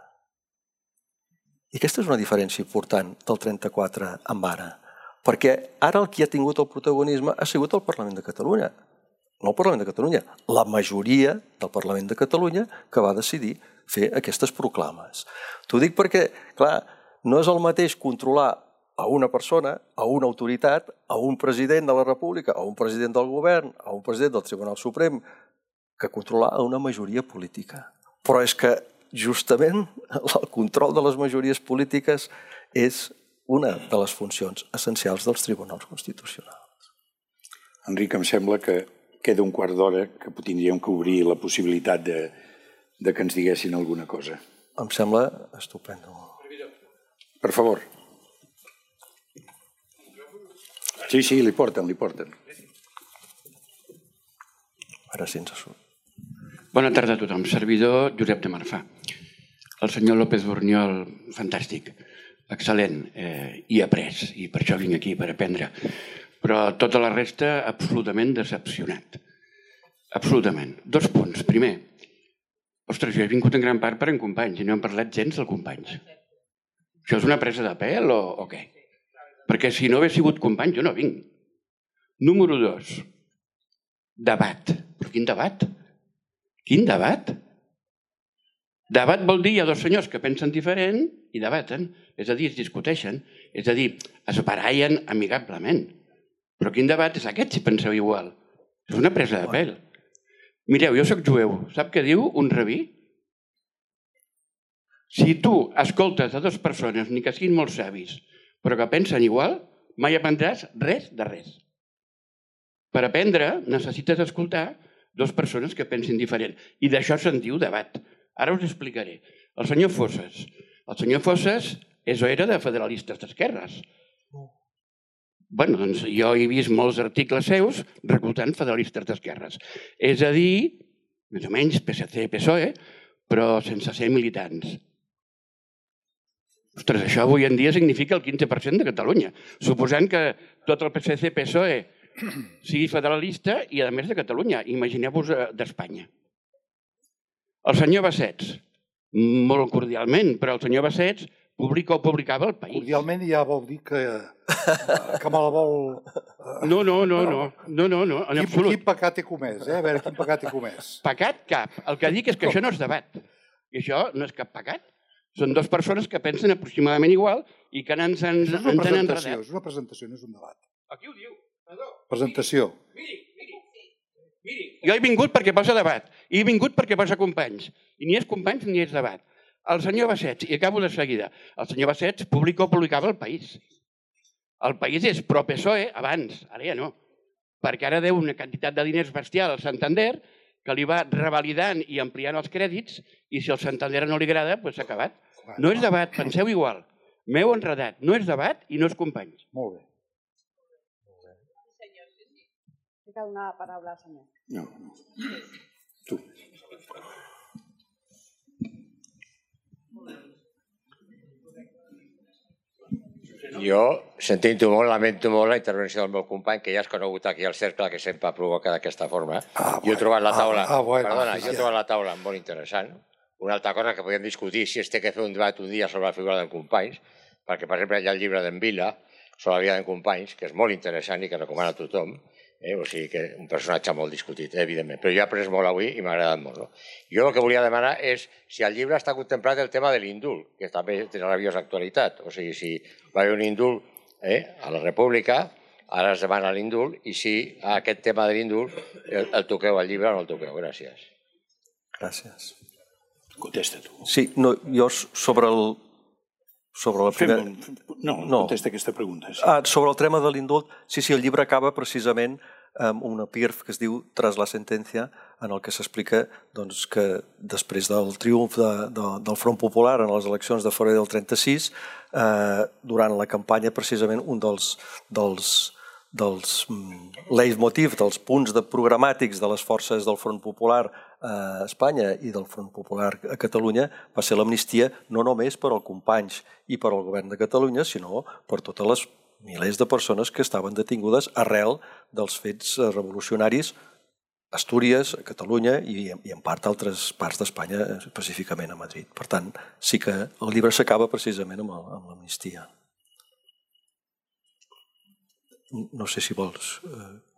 I aquesta és una diferència important del 34 amb ara. Perquè ara el qui ha tingut el protagonisme ha sigut el Parlament de Catalunya. No el Parlament de Catalunya, la majoria del Parlament de Catalunya que va decidir fer aquestes proclames. T'ho dic perquè, clar, no és el mateix controlar a una persona, a una autoritat, a un president de la República, a un president del govern, a un president del Tribunal Suprem, que controlar a una majoria política. Però és que justament el control de les majories polítiques és una de les funcions essencials dels tribunals constitucionals. Enric, em sembla que queda un quart d'hora que tindríem que obrir la possibilitat de que ens diguessin alguna cosa. Em sembla estupendo. Per favor. Sí, li porten. Ara sí ens surt. Bona tarda a tothom. Servidor Josep de Marfà. El senyor López Borniol, fantàstic, excel·lent, i après, i per això vinc aquí, per aprendre. Però tota la resta, absolutament decepcionat. Absolutament. 2 punts. Primer, ostres, jo he vingut en gran part per en Companys i no hem parlat gens del Companys. Això és una presa de pèl o què? Perquè si no hagués sigut Companys, jo no vinc. Número 2, debat. Però quin debat? Quin debat? Debat vol dir hi ha 2 senyors que pensen diferent i debaten, és a dir, es discuteixen, és a dir, es barallen amigablement. Però quin debat és aquest si penseu igual? És una presa de pèl. Mireu, jo soc jueu. Sap què diu un rabí? Si tu escoltes a 2 persones, ni que siguin molt savis, però que pensen igual, mai aprendràs res de res. Per aprendre necessites escoltar 2 persones que pensin diferent. I d'això se'n diu debat. Ara us explicaré. El senyor Fosses. El senyor Fosses és o era de federalistes d'esquerres. Bé, doncs jo he vist molts articles seus reclutant federalistes d'esquerres. És a dir, més o menys PSC, PSOE, però sense ser militants. Ostres, això avui en dia significa el 15% de Catalunya, suposant que tot el PSC, PSOE sigui federalista i, a més, de Catalunya. Imagineu-vos d'Espanya. El senyor Bassets, molt cordialment, però el senyor Bassets publicava El País. Cordialment ja vol dir que me la vol... No, en absolut. Quin pecat he comès, A veure, quin pecat he comès. Pecat cap. El que dic és que això no és debat. I això no és cap pecat. Són 2 persones que pensen aproximadament igual i que ens han enredat. És una presentació, no és un debat. Aquí ho diu. Perdó. Presentació. Miri. Jo he vingut perquè posa debat. I he vingut perquè posa Companys. I ni és Companys ni és debat. El senyor Bassets, i acabo de seguida, el senyor Bassets publicava El País. El País és pro-PSOE abans, ara ja no. Perquè ara deu una quantitat de diners bestial al Santander que li va revalidant i ampliant els crèdits i si el Santander no li agrada, doncs s'ha acabat. No és debat, penseu igual. M'heu enredat. No és debat i no és Companys. Molt bé. Té que donar la paraula al senyor. No. Tu. Jo sentint-ho molt, lamento molt la intervenció del meu company, que ja has conegut aquí al cercle, que sempre provoca d'aquesta forma. Jo he trobat la taula molt interessant. Una altra cosa que podem discutir si es té que fer un debat un dia sobre la figura d'en Companys, perquè, per exemple, hi ha el llibre d'en Vila sobre la vida d'en Companys, que és molt interessant i que recomana a tothom. O sigui que un personatge molt discutit, evidentment. Però jo he après molt avui i m'ha agradat molt. Jo el que volia demanar és si al llibre està contemplat el tema de l'indult, que també té rabiosa actualitat. O sigui, si va haver un indult a la República, ara es demana l'indult, i si aquest tema de l'indult el toqueu al llibre o no el toqueu. Gràcies. Gràcies. Contesta tu. Sí, jo sobre la primera... No, contesta aquesta pregunta. Sobre el tema de l'indult, sí, el llibre acaba precisament amb un epígraf que es diu Tras la sentència, en el que s'explica que després del triomf del Front Popular en les eleccions de febrer del 36, durant la campanya, precisament, un dels leitmotiv, dels punts programàtics de les forces del Front Popular a Espanya i del Front Popular a Catalunya va ser l'amnistia no només per als Companys i per al govern de Catalunya, sinó per totes les milers de persones que estaven detingudes arrel dels fets revolucionaris a Astúries, a Catalunya i en part altres parts d'Espanya, específicament a Madrid. Per tant, sí que el llibre s'acaba precisament amb l'amnistia. No sé si vols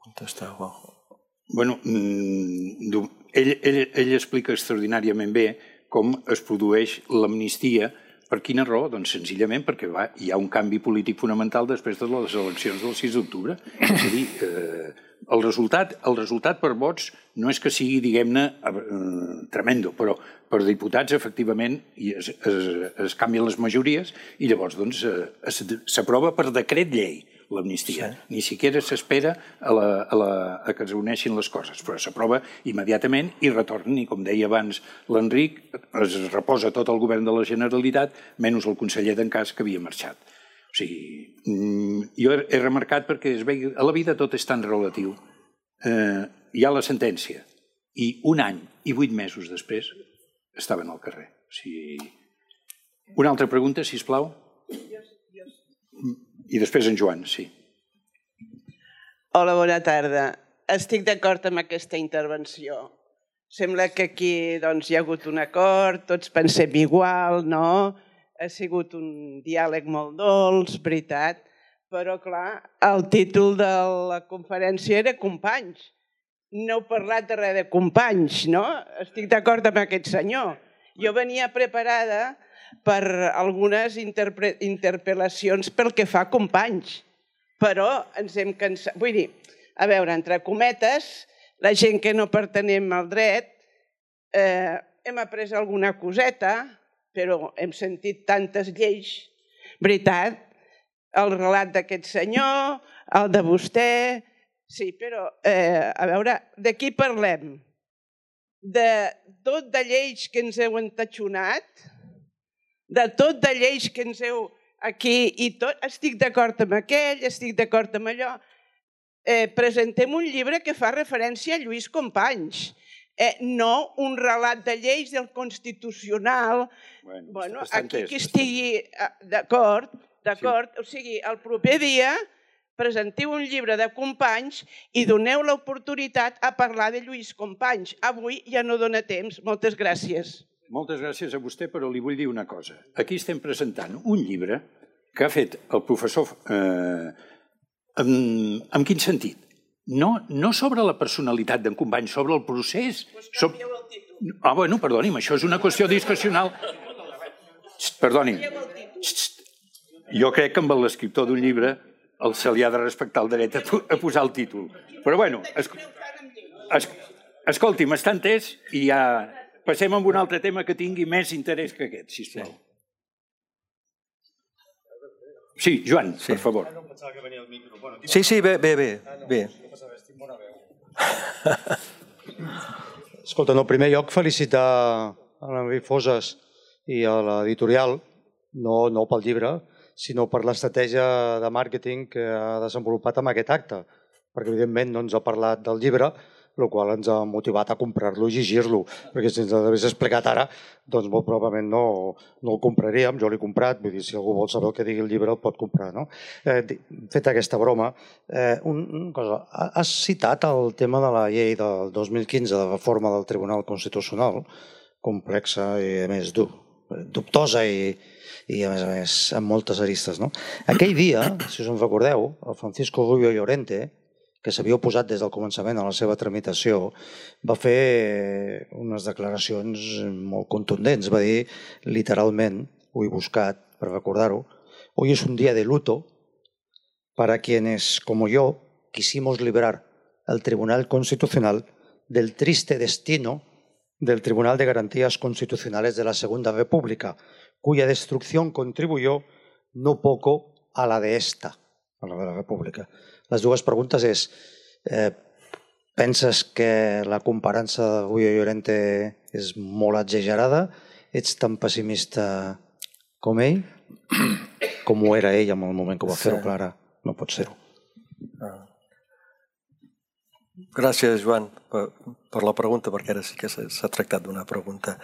contestar. Bueno, ell explica extraordinàriament bé com es produeix l'amnistia Per quina raó? Doncs senzillament perquè hi ha un canvi polític fonamental després de les eleccions del 6 d'octubre. És a dir, el resultat per vots no és que sigui, diguem-ne, tremendo, però per diputats, efectivament, es canvien les majories i llavors s'aprova per decret llei l'amnistia. Ni siquiera s'espera a que es uneixin les coses, però s'aprova immediatament i retornen, i com deia abans l'Enric, es reposa tot el govern de la Generalitat, menys el conseller d'Encàs, que havia marxat. O sigui, jo he remarcat perquè a la vida tot és tan relatiu. Hi ha la sentència i un any i 8 mesos després estaven al carrer. Una altra pregunta, sisplau. I després en Joan, sí. Hola, bona tarda. Estic d'acord amb aquesta intervenció. Sembla que aquí hi ha hagut un acord, tots pensem igual, no? Ha sigut un diàleg molt dolç, veritat, però clar, el títol de la conferència era Companys. No heu parlat de res de companys, no? Estic d'acord amb aquest senyor. Jo venia preparada per algunes interpel·lacions pel que fa a Companys, però ens hem cansat. Vull dir, a veure, entre cometes, la gent que no pertenem al dret, hem après alguna coseta, però hem sentit tantes lleis, veritat, el relat d'aquest senyor, el de vostè, sí, però, a veure, de qui parlem? De tot de lleis que ens heu entatxonat, de tot de lleis que ens heu aquí i tot, estic d'acord amb aquell, estic d'acord amb allò. Presentem un llibre que fa referència a Lluís Companys, no un relat de lleis del Constitucional. Bueno, aquí qui estigui d'acord, o sigui, el proper dia presentiu un llibre de Companys i doneu l'oportunitat a parlar de Lluís Companys. Avui ja no dona temps. Moltes gràcies. Moltes gràcies a vostè, però li vull dir una cosa. Aquí estem presentant un llibre que ha fet el professor... En quin sentit? No sobre la personalitat d'en Companys, sobre el procés. Doncs canvieu el títol. Bueno, perdoni'm, això és una qüestió discrecional. Perdoni'm. Jo crec que amb l'escriptor d'un llibre se li ha de respectar el dret a posar el títol. Però bueno, escolti'm, està entès i ja... Passem a un altre tema que tingui més interès que aquest, sisplau. Sí, Joan, per favor. Sí, bé. Escolta, en el primer lloc felicitar a l'Enric Foses i a l'editorial, no pel llibre, sinó per l'estratègia de màrqueting que ha desenvolupat amb aquest acte, perquè evidentment no ens ha parlat del llibre, el qual ens ha motivat a comprar-lo i llegir-lo, perquè si ens l'hagués explicat ara, doncs molt probablement no el compraríem, jo l'he comprat, vull dir, si algú vol saber el que digui el llibre el pot comprar, no? Feta aquesta broma, una cosa, has citat el tema de la llei del 2015 de reforma del Tribunal Constitucional, complexa i a més dubtosa i a més amb moltes aristes, no? Aquell dia, si us en recordeu, el Francisco Rubio Llorente, que s'havia oposat des del començament a la seva tramitació, va fer unes declaracions molt contundents. Va dir, literalment, ho he buscat per recordar-ho, hoy es un día de luto para quienes, como yo, quisimos librar al Tribunal Constitucional del triste destino del Tribunal de Garantías Constitucionales de la Segunda República, cuya destrucción contribuyó no poco a la de esta, a la de la República. Les dues preguntes és, penses que la comparança de Rubio Llorente és molt exagerada? Ets tan pessimista com ell? Com ho era ell en el moment que ho va fer-ho, Clara? No pot ser-ho. Gràcies, Joan, per la pregunta, perquè ara sí que s'ha tractat d'una pregunta.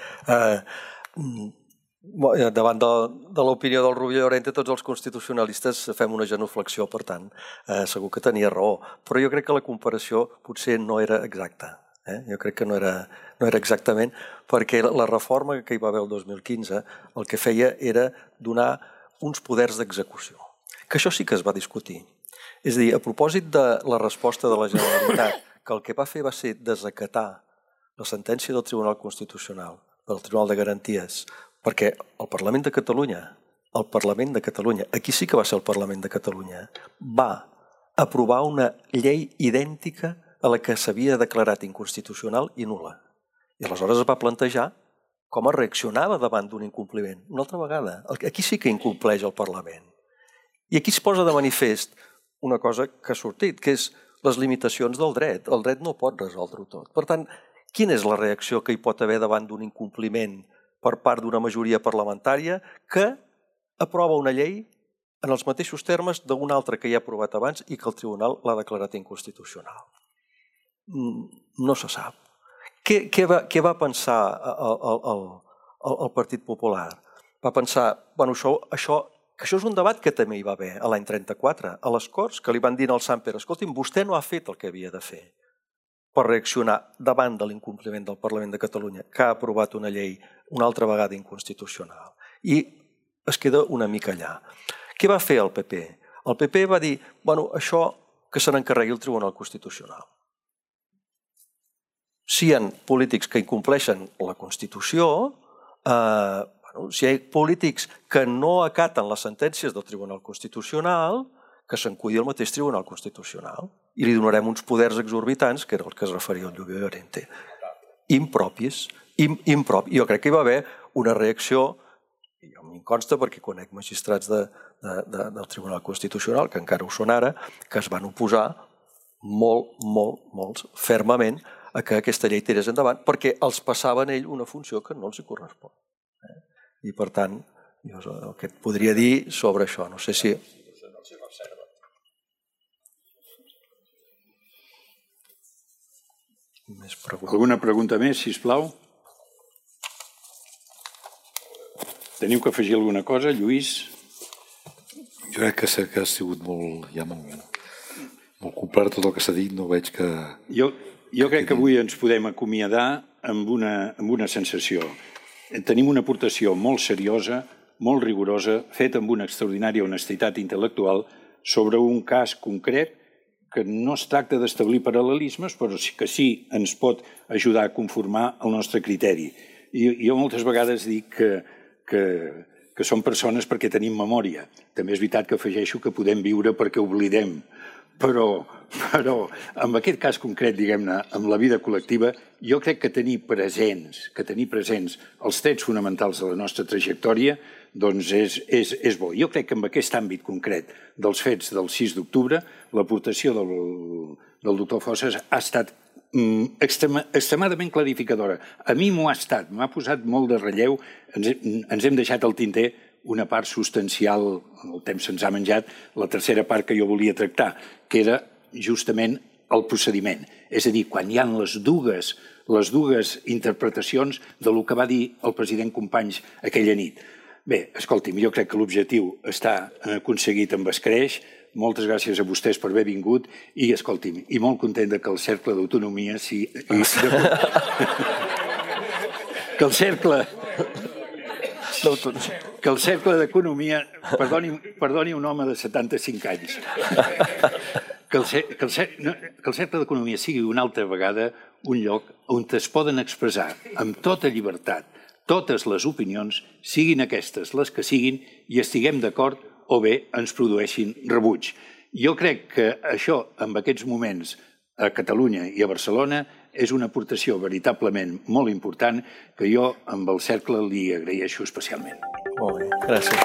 Davant de l'opinió del Rubio Llorente, tots els constitucionalistes fem una genuflexió, per tant, segur que tenia raó. Però jo crec que la comparació potser no era exacta. Jo crec que no era exactament, perquè la reforma que hi va haver el 2015 el que feia era donar uns poders d'execució. Que això sí que es va discutir. És a dir, a propòsit de la resposta de la Generalitat, que el que va fer va ser desacatar la sentència del Tribunal Constitucional, del Tribunal de Garanties, perquè el Parlament de Catalunya, aquí sí que va ser el Parlament de Catalunya, va aprovar una llei idèntica a la que s'havia declarat inconstitucional i nul·la. I aleshores es va plantejar com es reaccionava davant d'un incompliment. Una altra vegada, aquí sí que incompleix el Parlament. I aquí es posa de manifest una cosa que ha sortit, que és les limitacions del dret. El dret no pot resoldre-ho tot. Per tant, quina és la reacció que hi pot haver davant d'un incompliment per part d'una majoria parlamentària que aprova una llei en els mateixos termes d'una altra que ja ha aprovat abans i que el tribunal l'ha declarat inconstitucional? No se sap. Què va pensar el Partit Popular? Va pensar, que això és un debat que també hi va haver l'any 34, a les Corts, que li van dir al Samper, escolti'm, vostè no ha fet el que havia de fer per reaccionar davant de l'incompliment del Parlament de Catalunya, que ha aprovat una llei una altra vegada inconstitucional. I es queda una mica allà. Què va fer el PP? El PP va dir, això que se n'encarregui el Tribunal Constitucional. Si hi ha polítics que incompleixen la Constitució, si hi ha polítics que no acaten les sentències del Tribunal Constitucional, que s'encudi el mateix Tribunal Constitucional i li donarem uns poders exorbitants, que era el que es referia al Lluvia Llorente. Impropis. Jo crec que hi va haver una reacció, i a mi em consta perquè conec magistrats del Tribunal Constitucional, que encara ho són ara, que es van oposar molt fermament a que aquesta llei tirés endavant, perquè els passava en ell una funció que no els hi correspon. I per tant, jo el que et podria dir sobre això, no sé si... Alguna pregunta més, sisplau? Teniu que afegir alguna cosa, Lluís? Jo crec que ha sigut molt complert tot el que s'ha dit, no veig que... Jo crec que avui ens podem acomiadar amb una sensació. Tenim una aportació molt seriosa, molt rigorosa, feta amb una extraordinària honestitat intel·lectual sobre un cas concret que no es tracta d'establir paral·lelismes, però que sí ens pot ajudar a conformar el nostre criteri. Jo moltes vegades dic que som persones perquè tenim memòria. També és veritat que afegeixo que podem viure perquè oblidem. Però en aquest cas concret, diguem-ne, amb la vida col·lectiva, jo crec que tenir presents els trets fonamentals de la nostra trajectòria doncs és bo. Jo crec que en aquest àmbit concret dels fets del 6 d'octubre, l'aportació del doctor Fossas ha estat extremadament clarificadora. A mi m'ho ha estat, m'ha posat molt de relleu, ens hem deixat al tinter una part substancial, el temps se'ns ha menjat, la tercera part que jo volia tractar, que era justament el procediment. És a dir, quan hi ha les dues interpretacions del que va dir el president Companys aquella nit. Bé, escolti'm, jo crec que l'objectiu està aconseguit amb escreix. Moltes gràcies a vostès per haver vingut i, escolti'm, i molt content que el Cercle d'Autonomia que el Cercle d'Economia, perdoni un home de 75 anys, que el Cercle d'Economia sigui una altra vegada un lloc on es poden expressar amb tota llibertat totes les opinions, siguin aquestes les que siguin, i estiguem d'acord o bé ens produeixin rebuig. Jo crec que això, en aquests moments, a Catalunya i a Barcelona, és una aportació veritablement molt important que jo amb el Cercle li agraeixo especialment. Molt bé, gràcies.